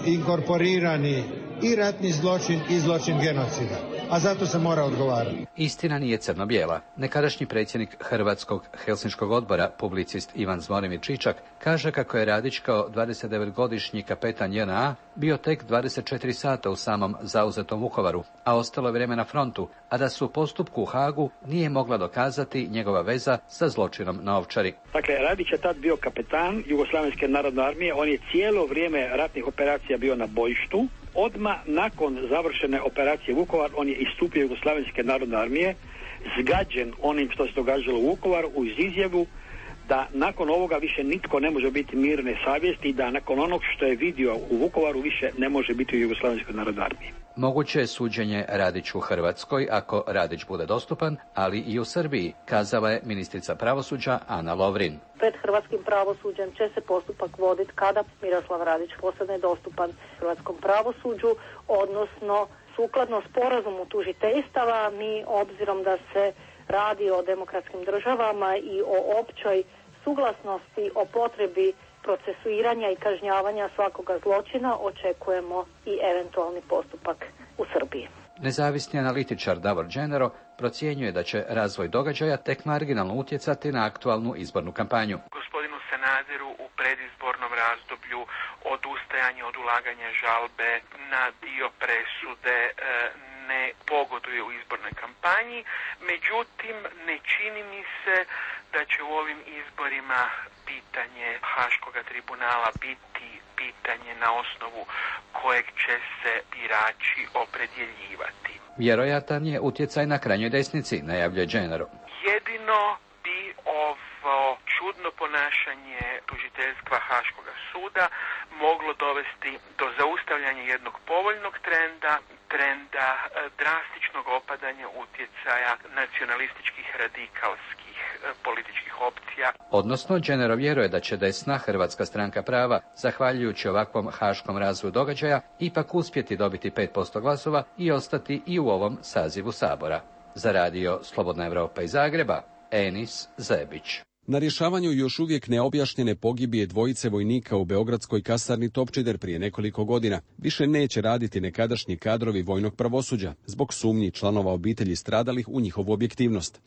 inkorporirani i ratni zločin i zločin genocida, a zato se mora odgovarati. Istina nije crno-bijela. Nekadašnji predsjednik Hrvatskog Helsinškog odbora, publicist Ivan Zvonimir Čičak, kaže kako je Radić kao 29-godišnji kapetan JNA bio tek 24 sata u samom zauzetom Vukovaru, a ostalo je vrijeme na frontu, a da su u postupku u Haagu nije mogla dokazati njegova veza sa zločinom na Ovčari. Dakle, Radić je tad bio kapetan Jugoslavenske narodne armije, on je cijelo vrijeme ratnih operacija bio na bojištu. Odmah nakon završene operacije Vukovar, on je istupio Jugoslavenske narodne armije, zgađen onim što se događalo u Vukovaru, uz izjavu da nakon ovoga više nitko ne može biti mirne savjesti i da nakon onog što je vidio u Vukovaru više ne može biti u Jugoslavenskoj narodnoj armiji. Moguće je suđenje Radiću u Hrvatskoj ako Radić bude dostupan, ali i u Srbiji, kazala je ministrica pravosuđa Ana Lovrin. Pred hrvatskim pravosuđem će se postupak voditi kada Miroslav Radić postane dostupan hrvatskom pravosuđu, odnosno sukladno sporazumu tužiteljstava. Mi, obzirom da se radi o demokratskim državama i o općoj suglasnosti o potrebi procesuiranja i kažnjavanja svakoga zločina, očekujemo i eventualni postupak u Srbiji. Nezavisni analitičar Davor Dženero procjenjuje da će razvoj događaja tek marginalno utjecati na aktualnu izbornu kampanju. Gospodinu Sanaderu nadziru u predizbornom razdoblju odustajanje od ulaganja žalbe na dio presude ne pogoduje u izbornoj kampanji. Međutim, ne čini mi se da će u ovim izborima pitanje Haškoga tribunala biti pitanje na osnovu kojeg će se birači opredjeljivati. Vjerojatan je utjecaj na krajnjoj desnici, najavljuje Gennaro. Jedino bi ovo čudno ponašanje tužiteljstva Haškoga suda moglo dovesti do zaustavljanja jednog povoljnog trenda drastičnog opadanja utjecaja nacionalističkih radikalskih političkih opcija. Odnosno, Gennaro vjeruje da će desna Hrvatska stranka prava, zahvaljujući ovakvom haškom razvoju događaja, ipak uspjeti dobiti 5% glasova i ostati i u ovom sazivu Sabora. Za radio Slobodna Evropa iz Zagreba, Enis Zebić. Na rješavanju još uvijek neobjašnjene pogibije dvojice vojnika u beogradskoj kasarni Topčider prije nekoliko godina više neće raditi nekadašnji kadrovi vojnog pravosuđa zbog sumnji članova obitelji stradalih u njihovu objektivnost.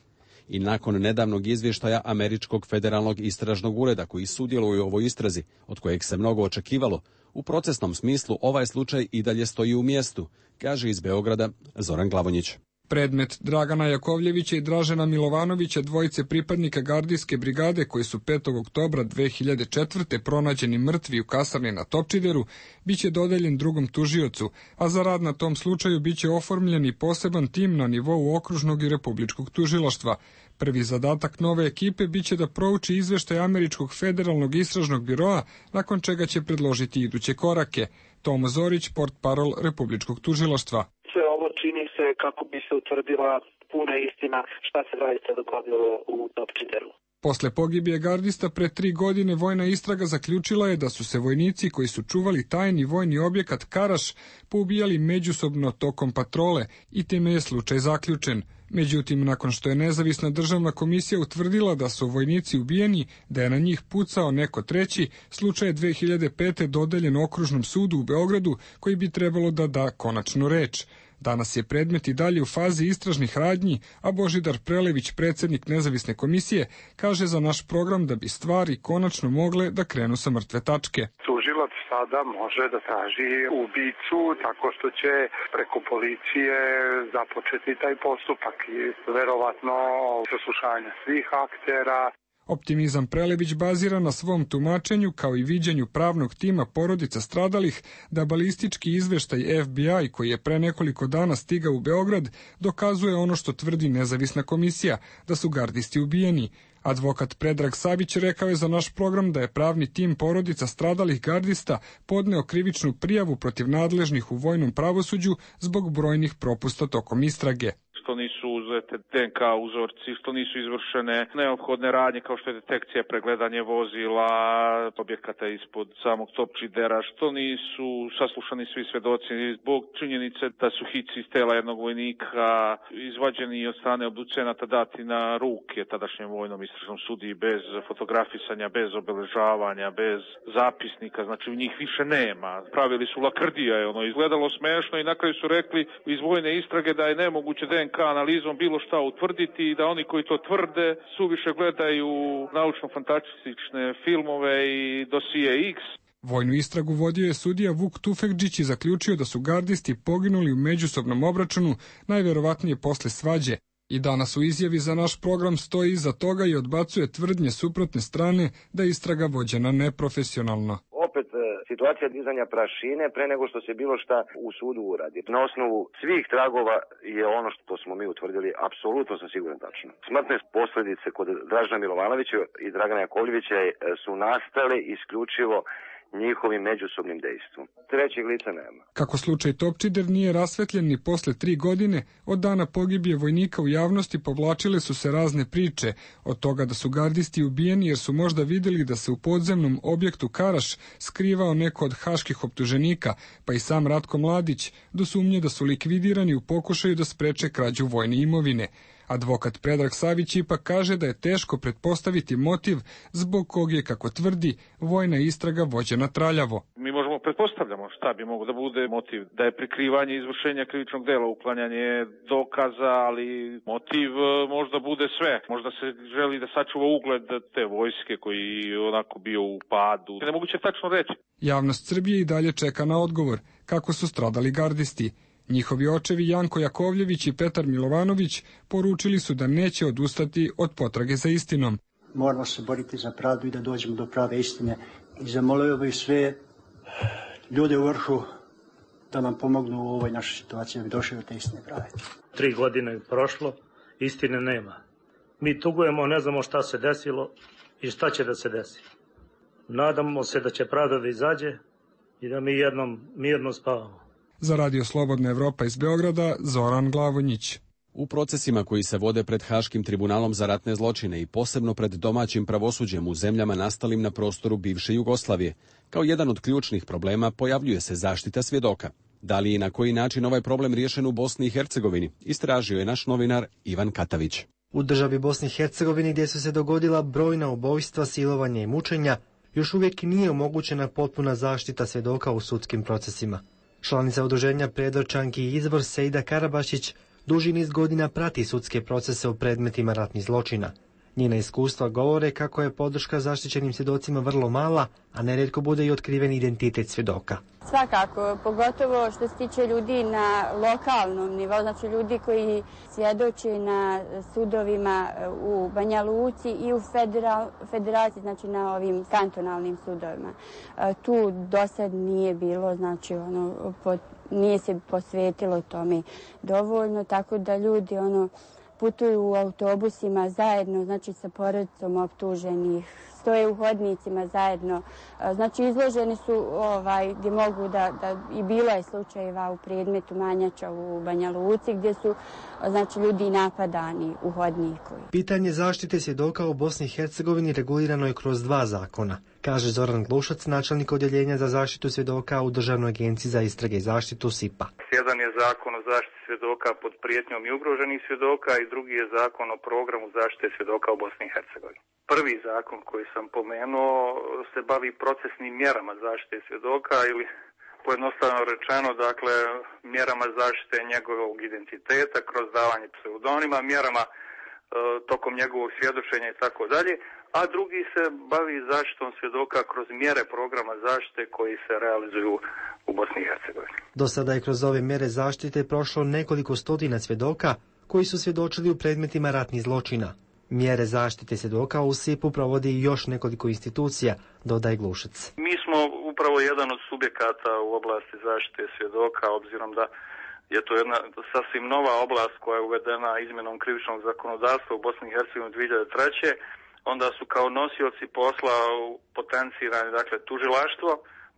I nakon nedavnog izvještaja Američkog federalnog istražnog ureda koji sudjeluje u ovoj istrazi, od kojeg se mnogo očekivalo, u procesnom smislu ovaj slučaj i dalje stoji u mjestu, kaže iz Beograda Zoran Glavonjić. Predmet Dragana Jakovljevića i Dražena Milovanovića, dvojice pripadnika gardijske brigade koji su 5. oktobra 2004. pronađeni mrtvi u kasarni na Topčideru, biće dodeljen drugom tužiocu, a za rad na tom slučaju biće oformljen i poseban tim na nivou okružnog i republičkog tužilaštva. Prvi zadatak nove ekipe biće da prouči izveštaj Američkog federalnog istražnog biroa, nakon čega će predložiti iduće korake. Tomo Zorić, portparol republičkog tužilaštva. Sve ovo čini se kako bi se utvrdila puna istina šta se zaista dogodilo u Topčideru. Posle pogibije gardista pre 3 godine vojna istraga zaključila je da su se vojnici koji su čuvali tajni vojni objekat Karaš poubijali međusobno tokom patrole i time je slučaj zaključen. Međutim, nakon što je nezavisna državna komisija utvrdila da su vojnici ubijeni, da je na njih pucao neko treći, slučaj je 2005. dodeljen Okružnom sudu u Beogradu koji bi trebalo da da konačnu reč. Danas je predmet i dalje u fazi istražnih radnji, a Božidar Prelević, predsjednik nezavisne komisije, kaže za naš program da bi stvari konačno mogle da krenu sa mrtve tačke. Tužilac sada može da traži ubicu tako što će preko policije započeti taj postupak i verovatno saslušanje svih aktera. Optimizam Prelević bazira na svom tumačenju kao i viđenju pravnog tima porodica stradalih da balistički izveštaj FBI koji je pre nekoliko dana stigao u Beograd dokazuje ono što tvrdi nezavisna komisija, da su gardisti ubijeni. Advokat Predrag Savić rekao je za naš program da je pravni tim porodica stradalih gardista podneo krivičnu prijavu protiv nadležnih u vojnom pravosuđu zbog brojnih propusta tokom istrage. Što nisu uzete DNK uzorci, što nisu izvršene neophodne radnje kao što je detekcija, pregledanje vozila, objekata ispod samog Topčidera, što nisu saslušani svi svedoci zbog činjenice da su hici iz tela jednog vojnika izvađeni od strane obducenata dati na ruke tadašnjem vojnom istražnom sudiji bez fotografisanja, bez obeležavanja, bez zapisnika, znači u njih više nema. Pravili su lakrdija, je ono izgledalo smešno i na kraju su rekli iz vojne istrage da je nemoguće DNK analizom bilo šta utvrditi i da oni koji to tvrde suviše gledaju naučno-fantastične filmove i dosije X. Vojnu istragu vodio je sudija Vuk Tufekđić i zaključio da su gardisti poginuli u međusobnom obračunu, najverovatnije posle svađe. I danas u izjavi za naš program stoji iza toga i odbacuje tvrdnje suprotne strane da je istraga vođena neprofesionalno. Opet situacija dizanja prašine pre nego što se bilo šta u sudu uradi. Na osnovu svih tragova je ono što smo mi utvrdili apsolutno sam siguran tačno. Smrtne posljedice kod Dražena Milovanovića i Dragana Jakovljevića su nastale isključivo njihovim međusobnim dejstvom. Trećeg lica nema. Kako slučaj Topčider nije rasvetljen ni posle 3 godine, od dana pogibije vojnika u javnosti povlačile su se razne priče, od toga da su gardisti ubijeni jer su možda vidjeli da se u podzemnom objektu Karaš skrivao neko od haških optuženika, pa i sam Ratko Mladić, do sumnje da su likvidirani u pokušaju da spreče krađu vojne imovine. Advokat Predrag Savić ipak kaže da je teško pretpostaviti motiv zbog kog je, kako tvrdi, vojna istraga vođena traljavo. Mi možemo pretpostavljamo šta bi moglo da bude motiv, da je prikrivanje izvršenja krivičnog dela, uklanjanje dokaza, ali motiv možda bude sve. Možda se želi da sačuva ugled te vojske koji je onako bio u padu. Nemoguće tačno reći. Javnost Srbije i dalje čeka na odgovor kako su stradali gardisti. Njihovi očevi Janko Jakovljević i Petar Milovanović poručili su da neće odustati od potrage za istinom. Moramo se boriti za pravdu i da dođemo do prave istine. I zamolio bih sve ljude u vrhu da nam pomognu u ovoj našoj situaciji da bi došli do te istine prave. 3 godine je prošlo, istine nema. Mi tugujemo, ne znamo šta se desilo i šta će da se desi. Nadamo se da će pravda da izađe i da mi jednom mirno spavamo. Za Radio Slobodna Evropa iz Beograda, Zoran Glavonjić. U procesima koji se vode pred Haškim tribunalom za ratne zločine i posebno pred domaćim pravosuđem u zemljama nastalim na prostoru bivše Jugoslavije, kao jedan od ključnih problema pojavljuje se zaštita svjedoka. Da li i na koji način ovaj problem riješen u Bosni i Hercegovini, istražio je naš novinar Ivan Katavić. U državi Bosni i Hercegovini gdje su se dogodila brojna ubojstva, silovanja i mučenja, još uvijek nije omogućena potpuna zaštita svjedoka u sudskim procesima. Članica udruženja Predorčanki i Izvor Sejda Karabašić duži niz godina prati sudske procese u predmetima ratnih zločina. Njena iskustva govore kako je podrška zaštićenim svjedocima vrlo mala, a nerijetko bude i otkriven identitet svjedoka. Svakako, pogotovo što se tiče ljudi na lokalnom nivou, znači ljudi koji svjedoče na sudovima u Banja Luci i u federaciji, znači na ovim kantonalnim sudovima. Tu dosad nije bilo, znači nije se posvetilo tome dovoljno, tako da ljudi putuju u autobusima zajedno, znači sa porodicom optuženih, stoje u hodnicima zajedno, znači izloženi su gdje mogu i bilo je slučajeva u predmetu Manjača u Banja Luci gdje su znači ljudi napadani u hodniku. Pitanje zaštite svjedoka u Bosni i Hercegovini regulirano je kroz 2 zakona, kaže Zoran Glušac, načelnik odjeljenja za zaštitu svjedoka u Državnoj agenciji za istrage i zaštitu SIPA. Jedan je zakon o zaštiti svjedoka pod prijetnjom i ugroženih svjedoka i drugi je zakon o programu zaštite svjedoka u Bosni i Hercegovini. Prvi zakon koji sam pomenuo se bavi procesnim mjerama zaštite svjedoka ili pojednostavno rečeno, dakle, mjerama zaštite njegovog identiteta kroz davanje pseudonima, mjerama tokom njegovog svjedočenja i tako dalje, a drugi se bavi zaštitom svjedoka kroz mjere programa zaštite koji se realizuju u Bosni i Hercegovini. Do sada je kroz ove mjere zaštite prošlo nekoliko stotina svjedoka koji su svjedočili u predmetima ratnih zločina. Mjere zaštite svjedoka u SIP-u provodi još nekoliko institucija, dodaje Glušac. Mi smo upravo jedan od subjekata u oblasti zaštite svjedoka, obzirom da je to jedna sasvim nova oblast koja je uvedena izmjenom krivičnog zakonodavstva u Bosni i Hercegovini 2003. Onda su kao nosioci posla potencirani, dakle, tužilaštvo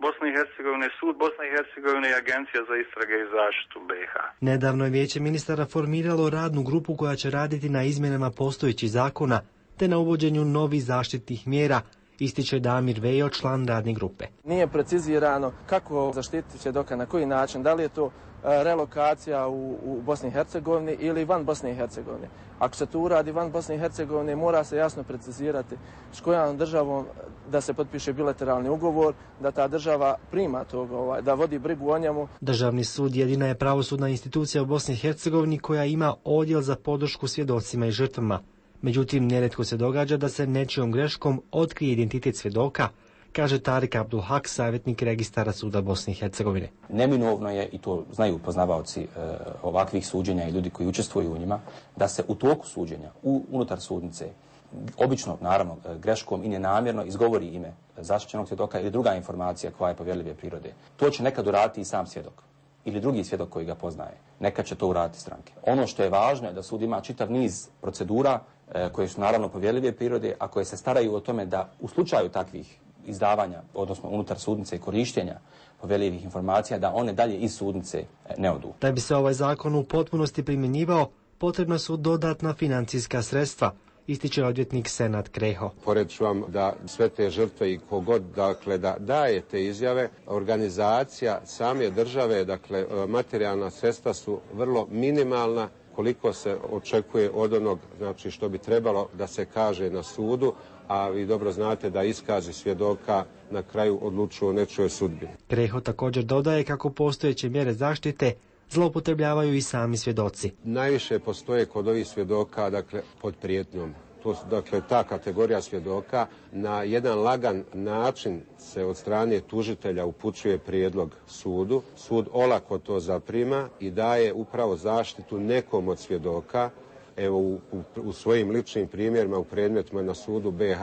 Bosne i Hercegovine, sud Bosne i Hercegovine i Agencija za istrage i zaštitu BiH. Nedavno je Vijeće ministara formiralo radnu grupu koja će raditi na izmjenama postojećih zakona te na uvođenju novih zaštitnih mjera, ističe Damir Vejo, član radne grupe. Nije precizirano kako zaštititi svjedoka, na koji način, da li je to relokacija u Bosni i Hercegovini ili van Bosne i Hercegovine. Ako se to uradi van Bosne i Hercegovine, mora se jasno precizirati s kojom državom da se potpiše bilateralni ugovor, da ta država prima toga, da vodi brigu o njemu. Državni sud jedina je pravosudna institucija u Bosni i Hercegovini koja ima odjel za podršku svjedocima i žrtvama. Međutim, nerijetko se događa da se nečijom greškom otkrije identitet svjedoka, kaže Tarik Abdulhak, savjetnik registara suda Bosne i Hercegovine. Neminovno je, i to znaju poznavaoci ovakvih suđenja i ljudi koji učestvuju u njima, da se u toku suđenja, unutar sudnice, obično, naravno, greškom i nenamjerno izgovori ime zaštićenog svjedoka ili druga informacija koja je povjerljive prirode. To će nekad uraditi i sam svjedok ili drugi svjedok koji ga poznaje. Nekad će to uraditi stranke. Ono što je važno je da sud ima čitav niz procedura koje su naravno povjerljive prirode, a koje se staraju o tome da u slučaju takvih izdavanja, odnosno unutar sudnice i korištenja povjerljivih informacija, da one dalje iz sudnice ne odu. Da bi se ovaj zakon u potpunosti primjenjivao, potrebna su dodatna financijska sredstva, ističe odvjetnik Senad Kreho. Pored ću vam da sve te žrtve i kogod, dakle, da daje te izjave, organizacija same države, dakle, materijalna sredstva su vrlo minimalna koliko se očekuje od onog, znači što bi trebalo da se kaže na sudu, a vi dobro znate da iskazi svjedoka na kraju odlučuju o nečijoj sudbini. Kreho također dodaje kako postojeće mjere zaštite zloupotrebljavaju i sami svjedoci. Najviše postoje kod ovih svjedoka, dakle, pod prijetnjom. To su, dakle, ta kategorija svjedoka na jedan lagan način se od strane tužitelja upućuje prijedlog sudu. Sud olako to zaprima i daje upravo zaštitu nekom od svjedoka. Evo, u svojim ličnim primjerima u predmetima na sudu BiH,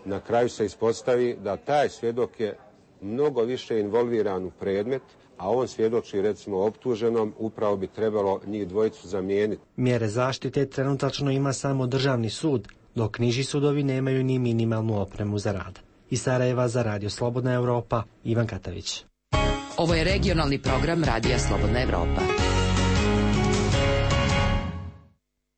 na kraju se ispostavi da taj svjedok je mnogo više involviran u predmet, a on svjedoči recimo optuženom, upravo bi trebalo njih dvojicu zamijeniti. Mjere zaštite trenutačno ima samo državni sud, dok niži sudovi nemaju ni minimalnu opremu za rad. Iz Sarajeva za Radio Slobodna Europa, Ivan Katavić. Ovo je regionalni program Radija Slobodna Europa.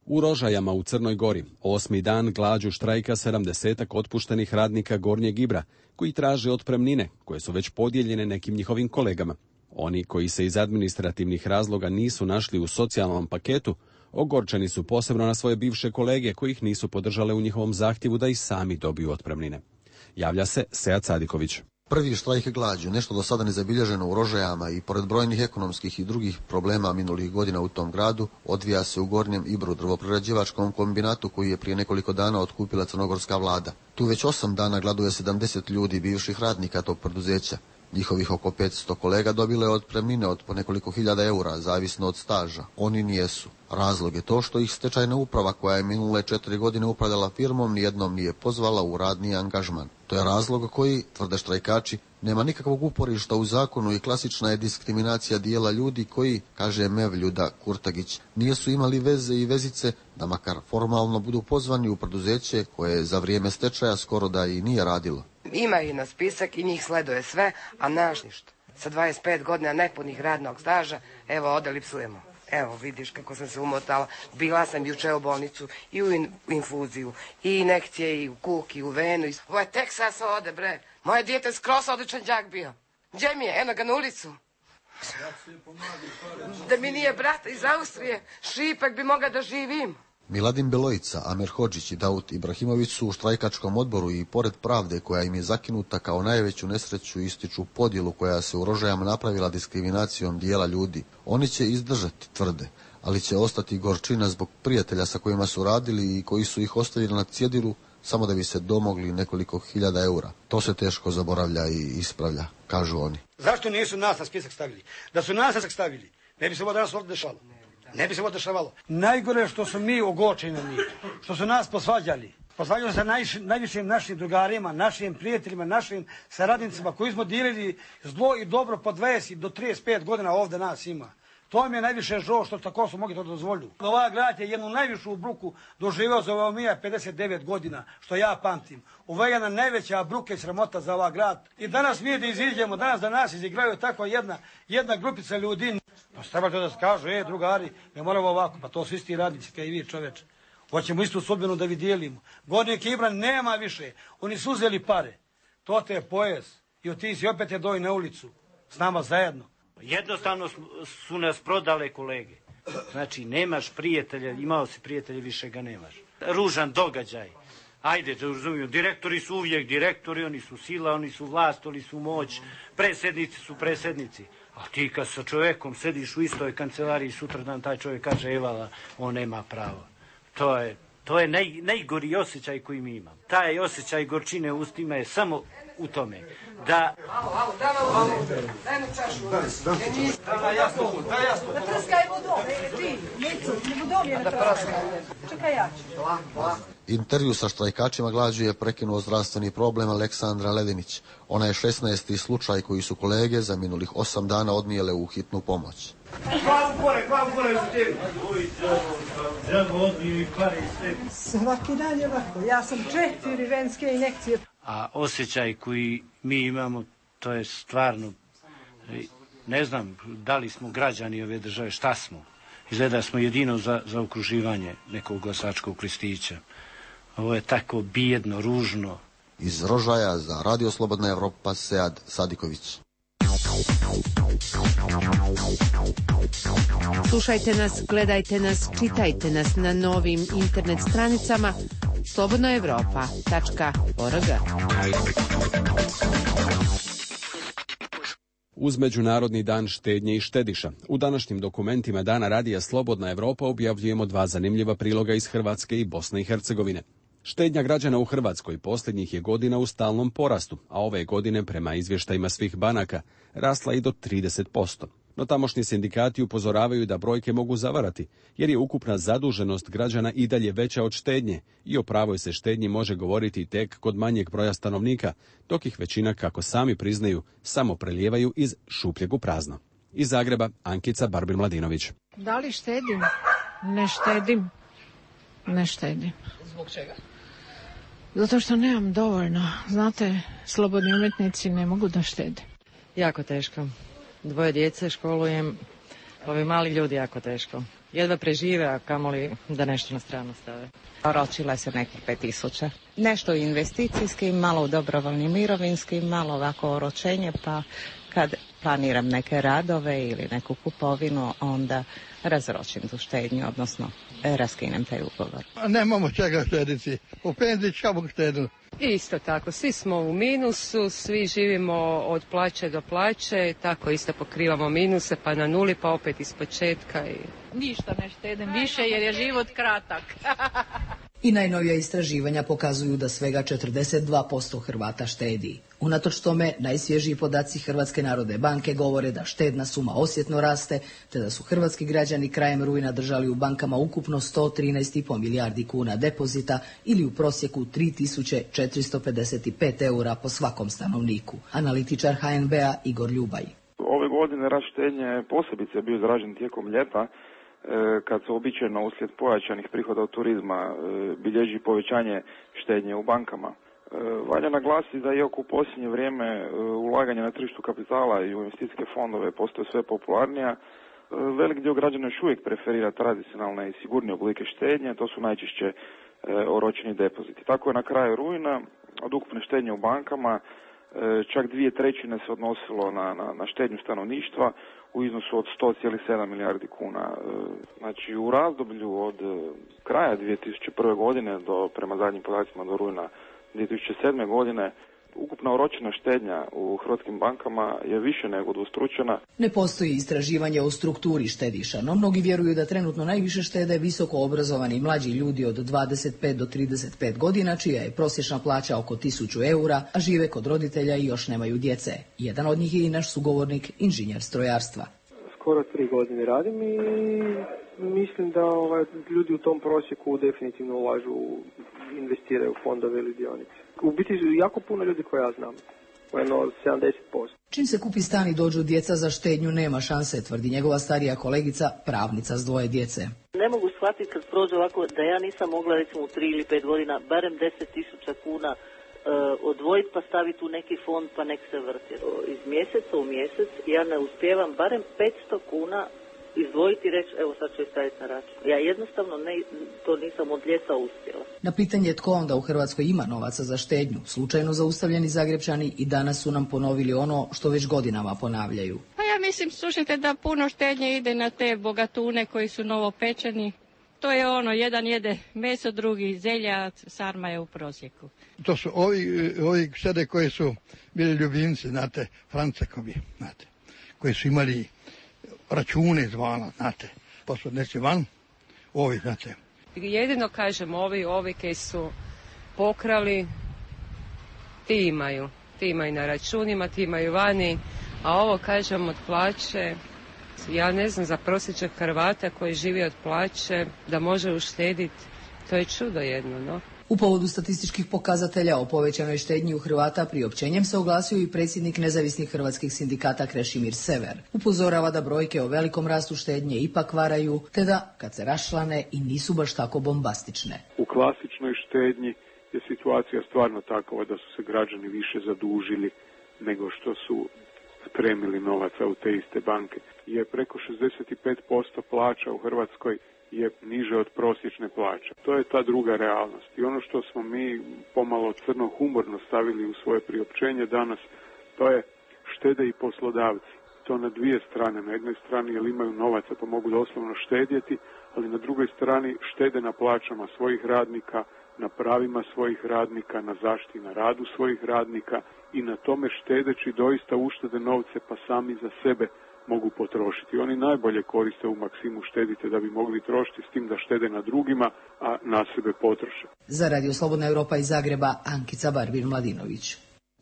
U Rožajama u Crnoj Gori, 8. dan glađu štrajka 70-ak otpuštenih radnika Gornjeg Ibra, koji traže otpremnine, koje su već podijeljene nekim njihovim kolegama. Oni koji se iz administrativnih razloga nisu našli u socijalnom paketu, ogorčeni su posebno na svoje bivše kolege koji ih nisu podržale u njihovom zahtjevu da i sami dobiju otpremnine. Javlja se Sead Sadiković. Prvi štrajk glađu, nešto do sada nezabilježeno u Rožajama i pored brojnih ekonomskih i drugih problema minulih godina u tom gradu, odvija se u Gornjem Ibru, drvoprerađivačkom kombinatu koji je prije nekoliko dana otkupila crnogorska vlada. Tu već 8 dana gladuje 70 ljudi bivših radnika tog preduzeća. Njihovih oko 500 kolega dobilo je otpremnine od po nekoliko hiljada eura, zavisno od staža. Oni nijesu. Razlog je to što ih stečajna uprava koja je minule 4 godine upravljala firmom nijednom nije pozvala u radni angažman. To je razlog koji, tvrde štrajkači, nema nikakvog uporišta u zakonu i klasična je diskriminacija dijela ljudi koji, kaže Mevljuda Kurtagić, nisu imali veze i vezice da makar formalno budu pozvani u preduzeće koje za vrijeme stečaja skoro da i nije radilo. Ima i na spisak i njih sleduje sve, a naš ništa. Sa 25 godina nepunih radnog staža, evo odeli psujemo. Evo vidiš kako sam se umotala. Bila sam juče u bolnicu i u infuziju, i injekcije, i u kuk, i u venu. Ovo je Teksas ode, bre. Moje dijete skroz odličan đak bio. Gdje mi je? Eno ga na ulicu. Da mi nije brat iz Austrije, Šipek bi mogao da živim. Miladin Belojica, Amer Hodžić i Daud Ibrahimović su u štrajkačkom odboru i pored pravde koja im je zakinuta kao najveću nesreću ističu podjelu koja se u Rožajama napravila diskriminacijom dijela ljudi. Oni će izdržati, tvrde, ali će ostati gorčina zbog prijatelja sa kojima su radili i koji su ih ostavili na cjedilu samo da bi se domogli nekoliko hiljada eura. To se teško zaboravlja i ispravlja, kažu oni. Zašto nisu nas na spisak stavili? Da su nas na spisak stavili, ne bi se ovo danas ovdje dešalo. Ne bi se ovo dešavalo. Najgore je što su mi ogorčeni na njih, što su nas posvađali. Posvađali se najvišim našim drugarima, našim prijateljima, našim saradnicima koji smo dijelili zlo i dobro po 20 do 35 godina ovdje nas ima. To mi je najviše žao što tako su mogli to dozvoliti. Ova grad je jednu najvišu bruku doživeo za ovo mija 59 godina, što ja pamtim. Ovo je jedna najveća bruka i sramota za ovaj grad. I danas mi da iziđemo, danas da nas izigraju tako jedna grupica ljudi. Pa treba to da se kažu, drugari, ne moramo ovako, pa to su isti radnici kao i vi, čoveče. Hoćemo istu sudbinu da vi dijelimo. Gornjeg Ibra nema više, oni su uzeli pare. To te je pojes i ti si opet je doj na ulicu, s nama zajedno. Jednostavno su nas prodale kolege. Znači, nemaš prijatelja, imao si prijatelja, više ga nemaš. Ružan događaj. Ajde, da razumijem, direktori su uvijek direktori, oni su sila, oni su vlast, oni su moć, predsjednici su predsjednici. A ti kad sa čovjekom sediš u istoj kancelariji, sutradan taj čovjek kaže evala, on nema pravo. To je najgori osjećaj koji mi imamo. Taj osjećaj gorčine u ustima je samo u tome da... Daj mu čašu. Daj jasno. Da prskaj vodom, ti. Vodom je na prskaj. Čekaj ja ću. Intervju sa štrajkačima glađu je prekinuo zdravstveni problem Aleksandra Ledinić. Ona je 16. slučaj koji su kolege za minulih 8 dana odnijele u hitnu pomoć. Glavu gore za tebi. Svaki dan je ovako. Ja sam 4 venske injekcije. A osjećaj koji mi imamo, to je stvarno, ne znam da li smo građani ove države, šta smo. Izgleda smo jedino za okruživanje nekog glasačkog listića. Ovo je tako bijedno, ružno. Iz Rožaja za Radio Slobodna Evropa, Sead Sadiković. Slušajte nas, gledajte nas, čitajte nas na novim internet stranicama slobodnaevropa.org. Uz Međunarodni dan štednje i štediša, u današnjim dokumentima Dana radija Slobodna Evropa objavljujemo 2 zanimljiva priloga iz Hrvatske i Bosne i Hercegovine. Štednja građana u Hrvatskoj posljednjih je godina u stalnom porastu, a ove godine, prema izvještajima svih banaka, rasla i do 30%. No tamošnji sindikati upozoravaju da brojke mogu zavarati, jer je ukupna zaduženost građana i dalje veća od štednje i o pravoj se štednji može govoriti tek kod manjeg broja stanovnika, dok ih većina, kako sami priznaju, samo prelijevaju iz šupljeg u prazno. Iz Zagreba, Ankica Barbin-Mladinović. Da li štedim? Ne štedim. Ne štedim. Zbog čega? Zato što nemam dovoljno. Znate, slobodni umjetnici ne mogu da štede. Jako teško. 2 djece školujem, ovi mali ljudi jako teško. Jedva prežive, a kamoli da nešto na stranu stave. Oročila se nekih 5.000. Nešto investicijskim, malo u dobrovoljnim mirovinskim, malo ovako oročenje, pa kad planiram neke radove ili neku kupovinu, onda razročim tu štednju, odnosno raskinem taj ugovor. Nemamo čega štediti. U penziji čemu štediti? Isto tako, svi smo u minusu, svi živimo od plaće do plaće, tako isto pokrivamo minuse, pa na nuli, pa opet iz početka. Ništa ne štedim više jer je život kratak. I najnovija istraživanja pokazuju da svega 42% Hrvata štedi. Unatoč tome, najsvježiji podaci Hrvatske narodne banke govore da štedna suma osjetno raste, te da su hrvatski građani krajem rujna držali u bankama ukupno 113,5 milijardi kuna depozita ili u prosjeku 3.455 eura po svakom stanovniku. Analitičar HNB-a Igor Ljubaj. Ove godine rast štednje posebice bio izražen tijekom ljeta, kad se običajno uslijed pojačanih prihoda od turizma bilježi povećanje štednje u bankama. Valja naglasiti da iako u posljednje vrijeme ulaganje na tržištu kapitala i u investicijske fondove postoje sve popularnija, velik dio građana još uvijek preferira tradicionalne i sigurnije oblike štednje, to su najčešće oročeni depoziti. Tako je na kraju rujna od ukupne štednje u bankama čak 2/3 se odnosilo na štednju stanovništva u iznosu od 100,7 milijardi kuna. Znači u razdoblju od kraja 2001. godine prema zadnjim podacima do rujna 2007. godine ukupna oročena štednja u hrvatskim bankama je više nego udvostručena. Ne postoji istraživanje o strukturi štediša, no mnogi vjeruju da trenutno najviše štede visoko obrazovani mlađi ljudi od 25 do 35 godina, čija je prosječna plaća oko 1.000 eura, a žive kod roditelja i još nemaju djece. Jedan od njih je i naš sugovornik, inženjer strojarstva. Skoro 3 godine radim i mislim da ljudi u tom prosjeku definitivno ulažu, investiraju u fondove ili dionice. U biti jako puno ljudi koje ja znam, jedno 70%. Čim se kupi stan i dođu djeca, za štednju nema šanse, tvrdi njegova starija kolegica, pravnica s 2 djece. Ne mogu shvatiti kad prođe ovako da ja nisam mogla recimo u 3 ili 5 godina barem 10.000 kuna odvojiti pa staviti u neki fond pa nek se vrti. Iz mjeseca u mjesec ja ne uspijevam barem 500 kuna izdvojiti i reći evo sad ću je staviti na račun. Ja jednostavno to nisam od ljeta uspjela. Na pitanje tko onda u Hrvatskoj ima novaca za štednju, slučajno zaustavljeni Zagrepčani i danas su nam ponovili ono što već godinama ponavljaju. Pa ja mislim, slušajte, da puno štednje ide na te bogatune koji su novopečeni. To je jedan jede meso, drugi zelja, sarma je u prosjeku. To su ovi štede koji su bili ljubimci, znate, Francekovi, znate, koji su imali račune izvana, znate, pa su neći van, ovi, znate. Jedino kažem, ovi koji su pokrali, ti imaju na računima, ti imaju vani, a ovo kažem od plaće, ja ne znam, za prosječnog Hrvata koji živi od plaće, da može uštediti, to je čudo jedno, no. U povodu statističkih pokazatelja o povećanoj štednji u Hrvata priopćenjem se oglasio i predsjednik nezavisnih hrvatskih sindikata Krešimir Sever. Upozorava da brojke o velikom rastu štednje ipak varaju, te da, kad se raščlane, i nisu baš tako bombastične. U klasičnoj štednji je situacija stvarno takva da su se građani više zadužili nego što su spremili novaca u te iste banke. Je preko 65% plaća u Hrvatskoj je niže od prosječne plaće. To je ta druga realnost. I ono što smo mi pomalo crno-humorno stavili u svoje priopćenje danas, to je štede i poslodavci. to na dvije strane. Na jednoj strani jer imaju novaca pa mogu doslovno štedjeti, ali na drugoj strani štede na plaćama svojih radnika, na pravima svojih radnika, na zaštiti na radu svojih radnika i na tome štedeći doista uštede novce pa sami za sebe mogu potrošiti. Oni najbolje koriste u maksimu štedite da bi mogli trošiti s tim da štede na drugima, a na sebe potroše. Za Radio Slobodna Europa iz Zagreba, Ankica Barbir-Mladinović.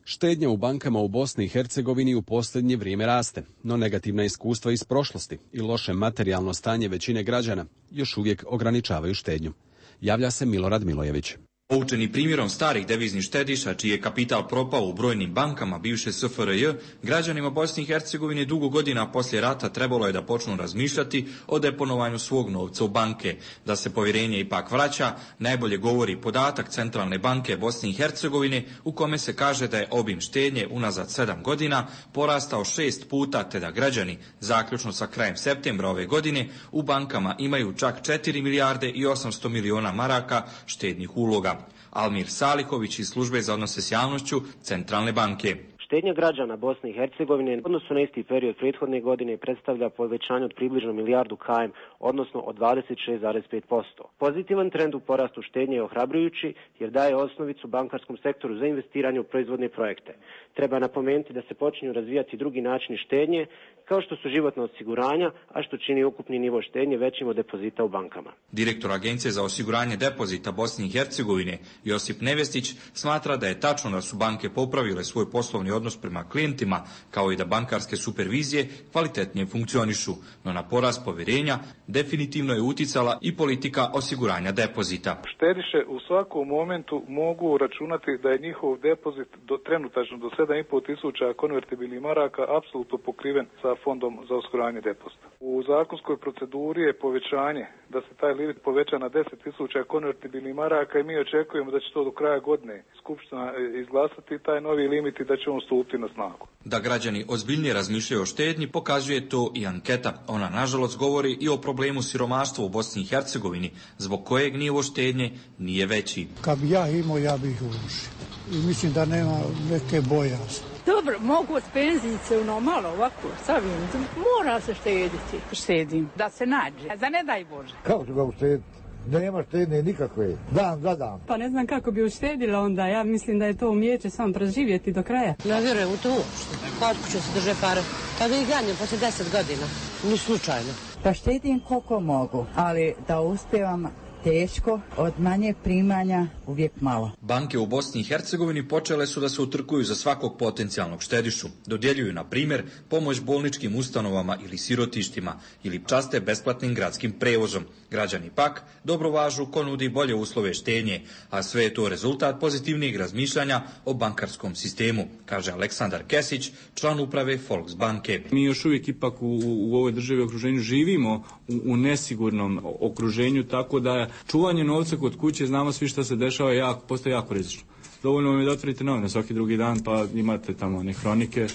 Štednja u bankama u Bosni i Hercegovini u posljednje vrijeme raste, no negativna iskustva iz prošlosti i loše materijalno stanje većine građana još uvijek ograničavaju štednju. Javlja se Milorad Milojević. Poučeni primjerom starih deviznih štediša, čiji je kapital propao u brojnim bankama bivše SFRJ, građanima Bosne i Hercegovine dugo godina poslije rata trebalo je da počnu razmišljati o deponovanju svog novca u banke. Da se povjerenje ipak vraća, najbolje govori podatak Centralne banke Bosne i Hercegovine, u kome se kaže da je obim štednje unazad 7 godina porastao 6 puta, te da građani, zaključno sa krajem septembra ove godine, u bankama imaju čak 4 milijarde i 800 miliona maraka štednih uloga. Almir Salihović iz Službe za odnose s javnošću Centralne banke. Štednja građana Bosne i Hercegovine u odnosu na isti period prethodne godine predstavlja povećanje od približno milijardu km, odnosno od 26,5%. Pozitivan trend u porastu štednje je ohrabrujući jer daje osnovicu bankarskom sektoru za investiranje u proizvodne projekte. Treba napomenuti da se počinju razvijati drugi načini štednje, kao što su životna osiguranja, a što čini ukupni nivo štednje većim od depozita u bankama. Direktor Agencije za osiguranje depozita Bosne i Hercegovine, Josip Nevestić, smatra da je tačno da su banke popravile svoj poslovni odnos prema klijentima, kao i da bankarske supervizije kvalitetnije funkcionišu, no na porast povjerenja definitivno je uticala i politika osiguranja depozita. Štediše u svakom momentu mogu računati da je njihov depozit trenutačno do 7,5 tisuća konvertibilnih maraka apsolutno pokriven sa fondom za osiguranje depozita. U zakonskoj proceduri je povećanje da se taj limit poveća na 10 tisuća konvertibilnih maraka i mi očekujemo da će to do kraja godine Skupština izglasati taj novi limit i da će on stupiti na snagu. Da građani ozbiljnije razmišljaju o štednji pokazuje to i anketa. Ona nažalost govori i o problemu siromaštva u Bosni i Hercegovini, zbog kojeg nivo štednje nije veći. Kad bi ja imao, ja bih ih urušio. I mislim da nema neke bojazni. Dobro, mogu od penzijice malo ovako, savim, mora se štediti. Štedim, da se nađe, da ne daj Bože. Kako ću ga uštediti? Nema štednje nikakve, dan za dan. Pa ne znam kako bi uštedila onda, ja mislim da je to umijeće sam preživjeti do kraja. Ne vjerujem u to uopšte, koliko ću se drže pare, pa da ih ganjem posle 10 godina, ni slučajno. Pa štedim koliko mogu, ali da uspijevam teško, od manje primanja uvijek malo. Banke u Bosni i Hercegovini počele su da se utrkuju za svakog potencijalnog štedišu. Dodjeljuju, na primjer, pomoć bolničkim ustanovama ili sirotištima ili časte besplatnim gradskim prevozom. Građani pak dobro važu ko nudi bolje uslove štednje, a sve je to rezultat pozitivnijeg razmišljanja o bankarskom sistemu, kaže Aleksandar Kesić, član uprave Volksbanke. Mi još uvijek ipak u ovoj državi okruženju živimo u nesigurnom okruženju, tako da čuvanje novca kod kuće, znamo svi što se dešava, postaje jako rizično. Dovoljno vam je da otvorite novine svaki drugi dan, pa imate tamo one hronike,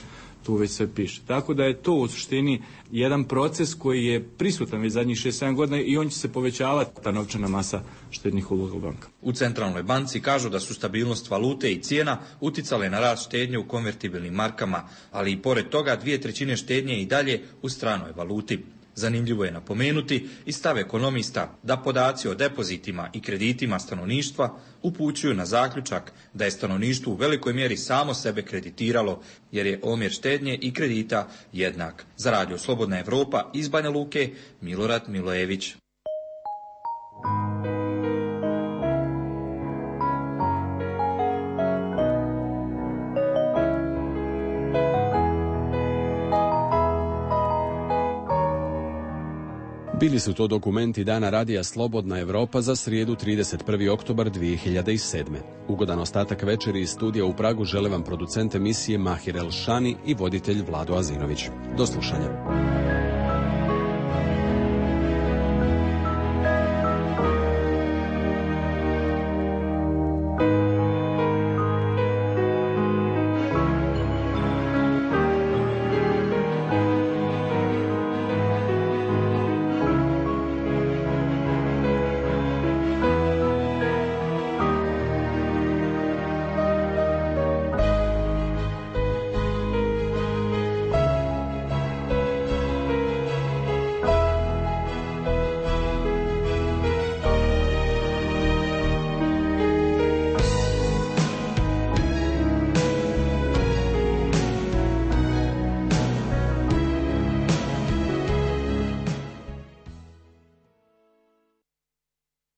tu već sve piše. Tako da je to u suštini jedan proces koji je prisutan već zadnjih 6-7 godina i on će se povećavati, ta novčana masa štednih uloga u bankama. U Centralnoj banci kažu da su stabilnost valute i cijena uticale na rast štednje u konvertibilnim markama, ali i pored toga 2/3 štednje i dalje u stranoj valuti. Zanimljivo je napomenuti i stav ekonomista da podaci o depozitima i kreditima stanovništva upućuju na zaključak da je stanovništvo u velikoj mjeri samo sebe kreditiralo, jer je omjer štednje i kredita jednak. Za Radio Slobodna Evropa iz Banja Luke, Milorad Milojević. Bili su to dokumenti Dana radija Slobodna Evropa za srijedu 31. oktobar 2007. Ugodan ostatak večeri iz studija u Pragu žele vam producent emisije Mahir El Šani i voditelj Vlado Azinović. Do slušanja.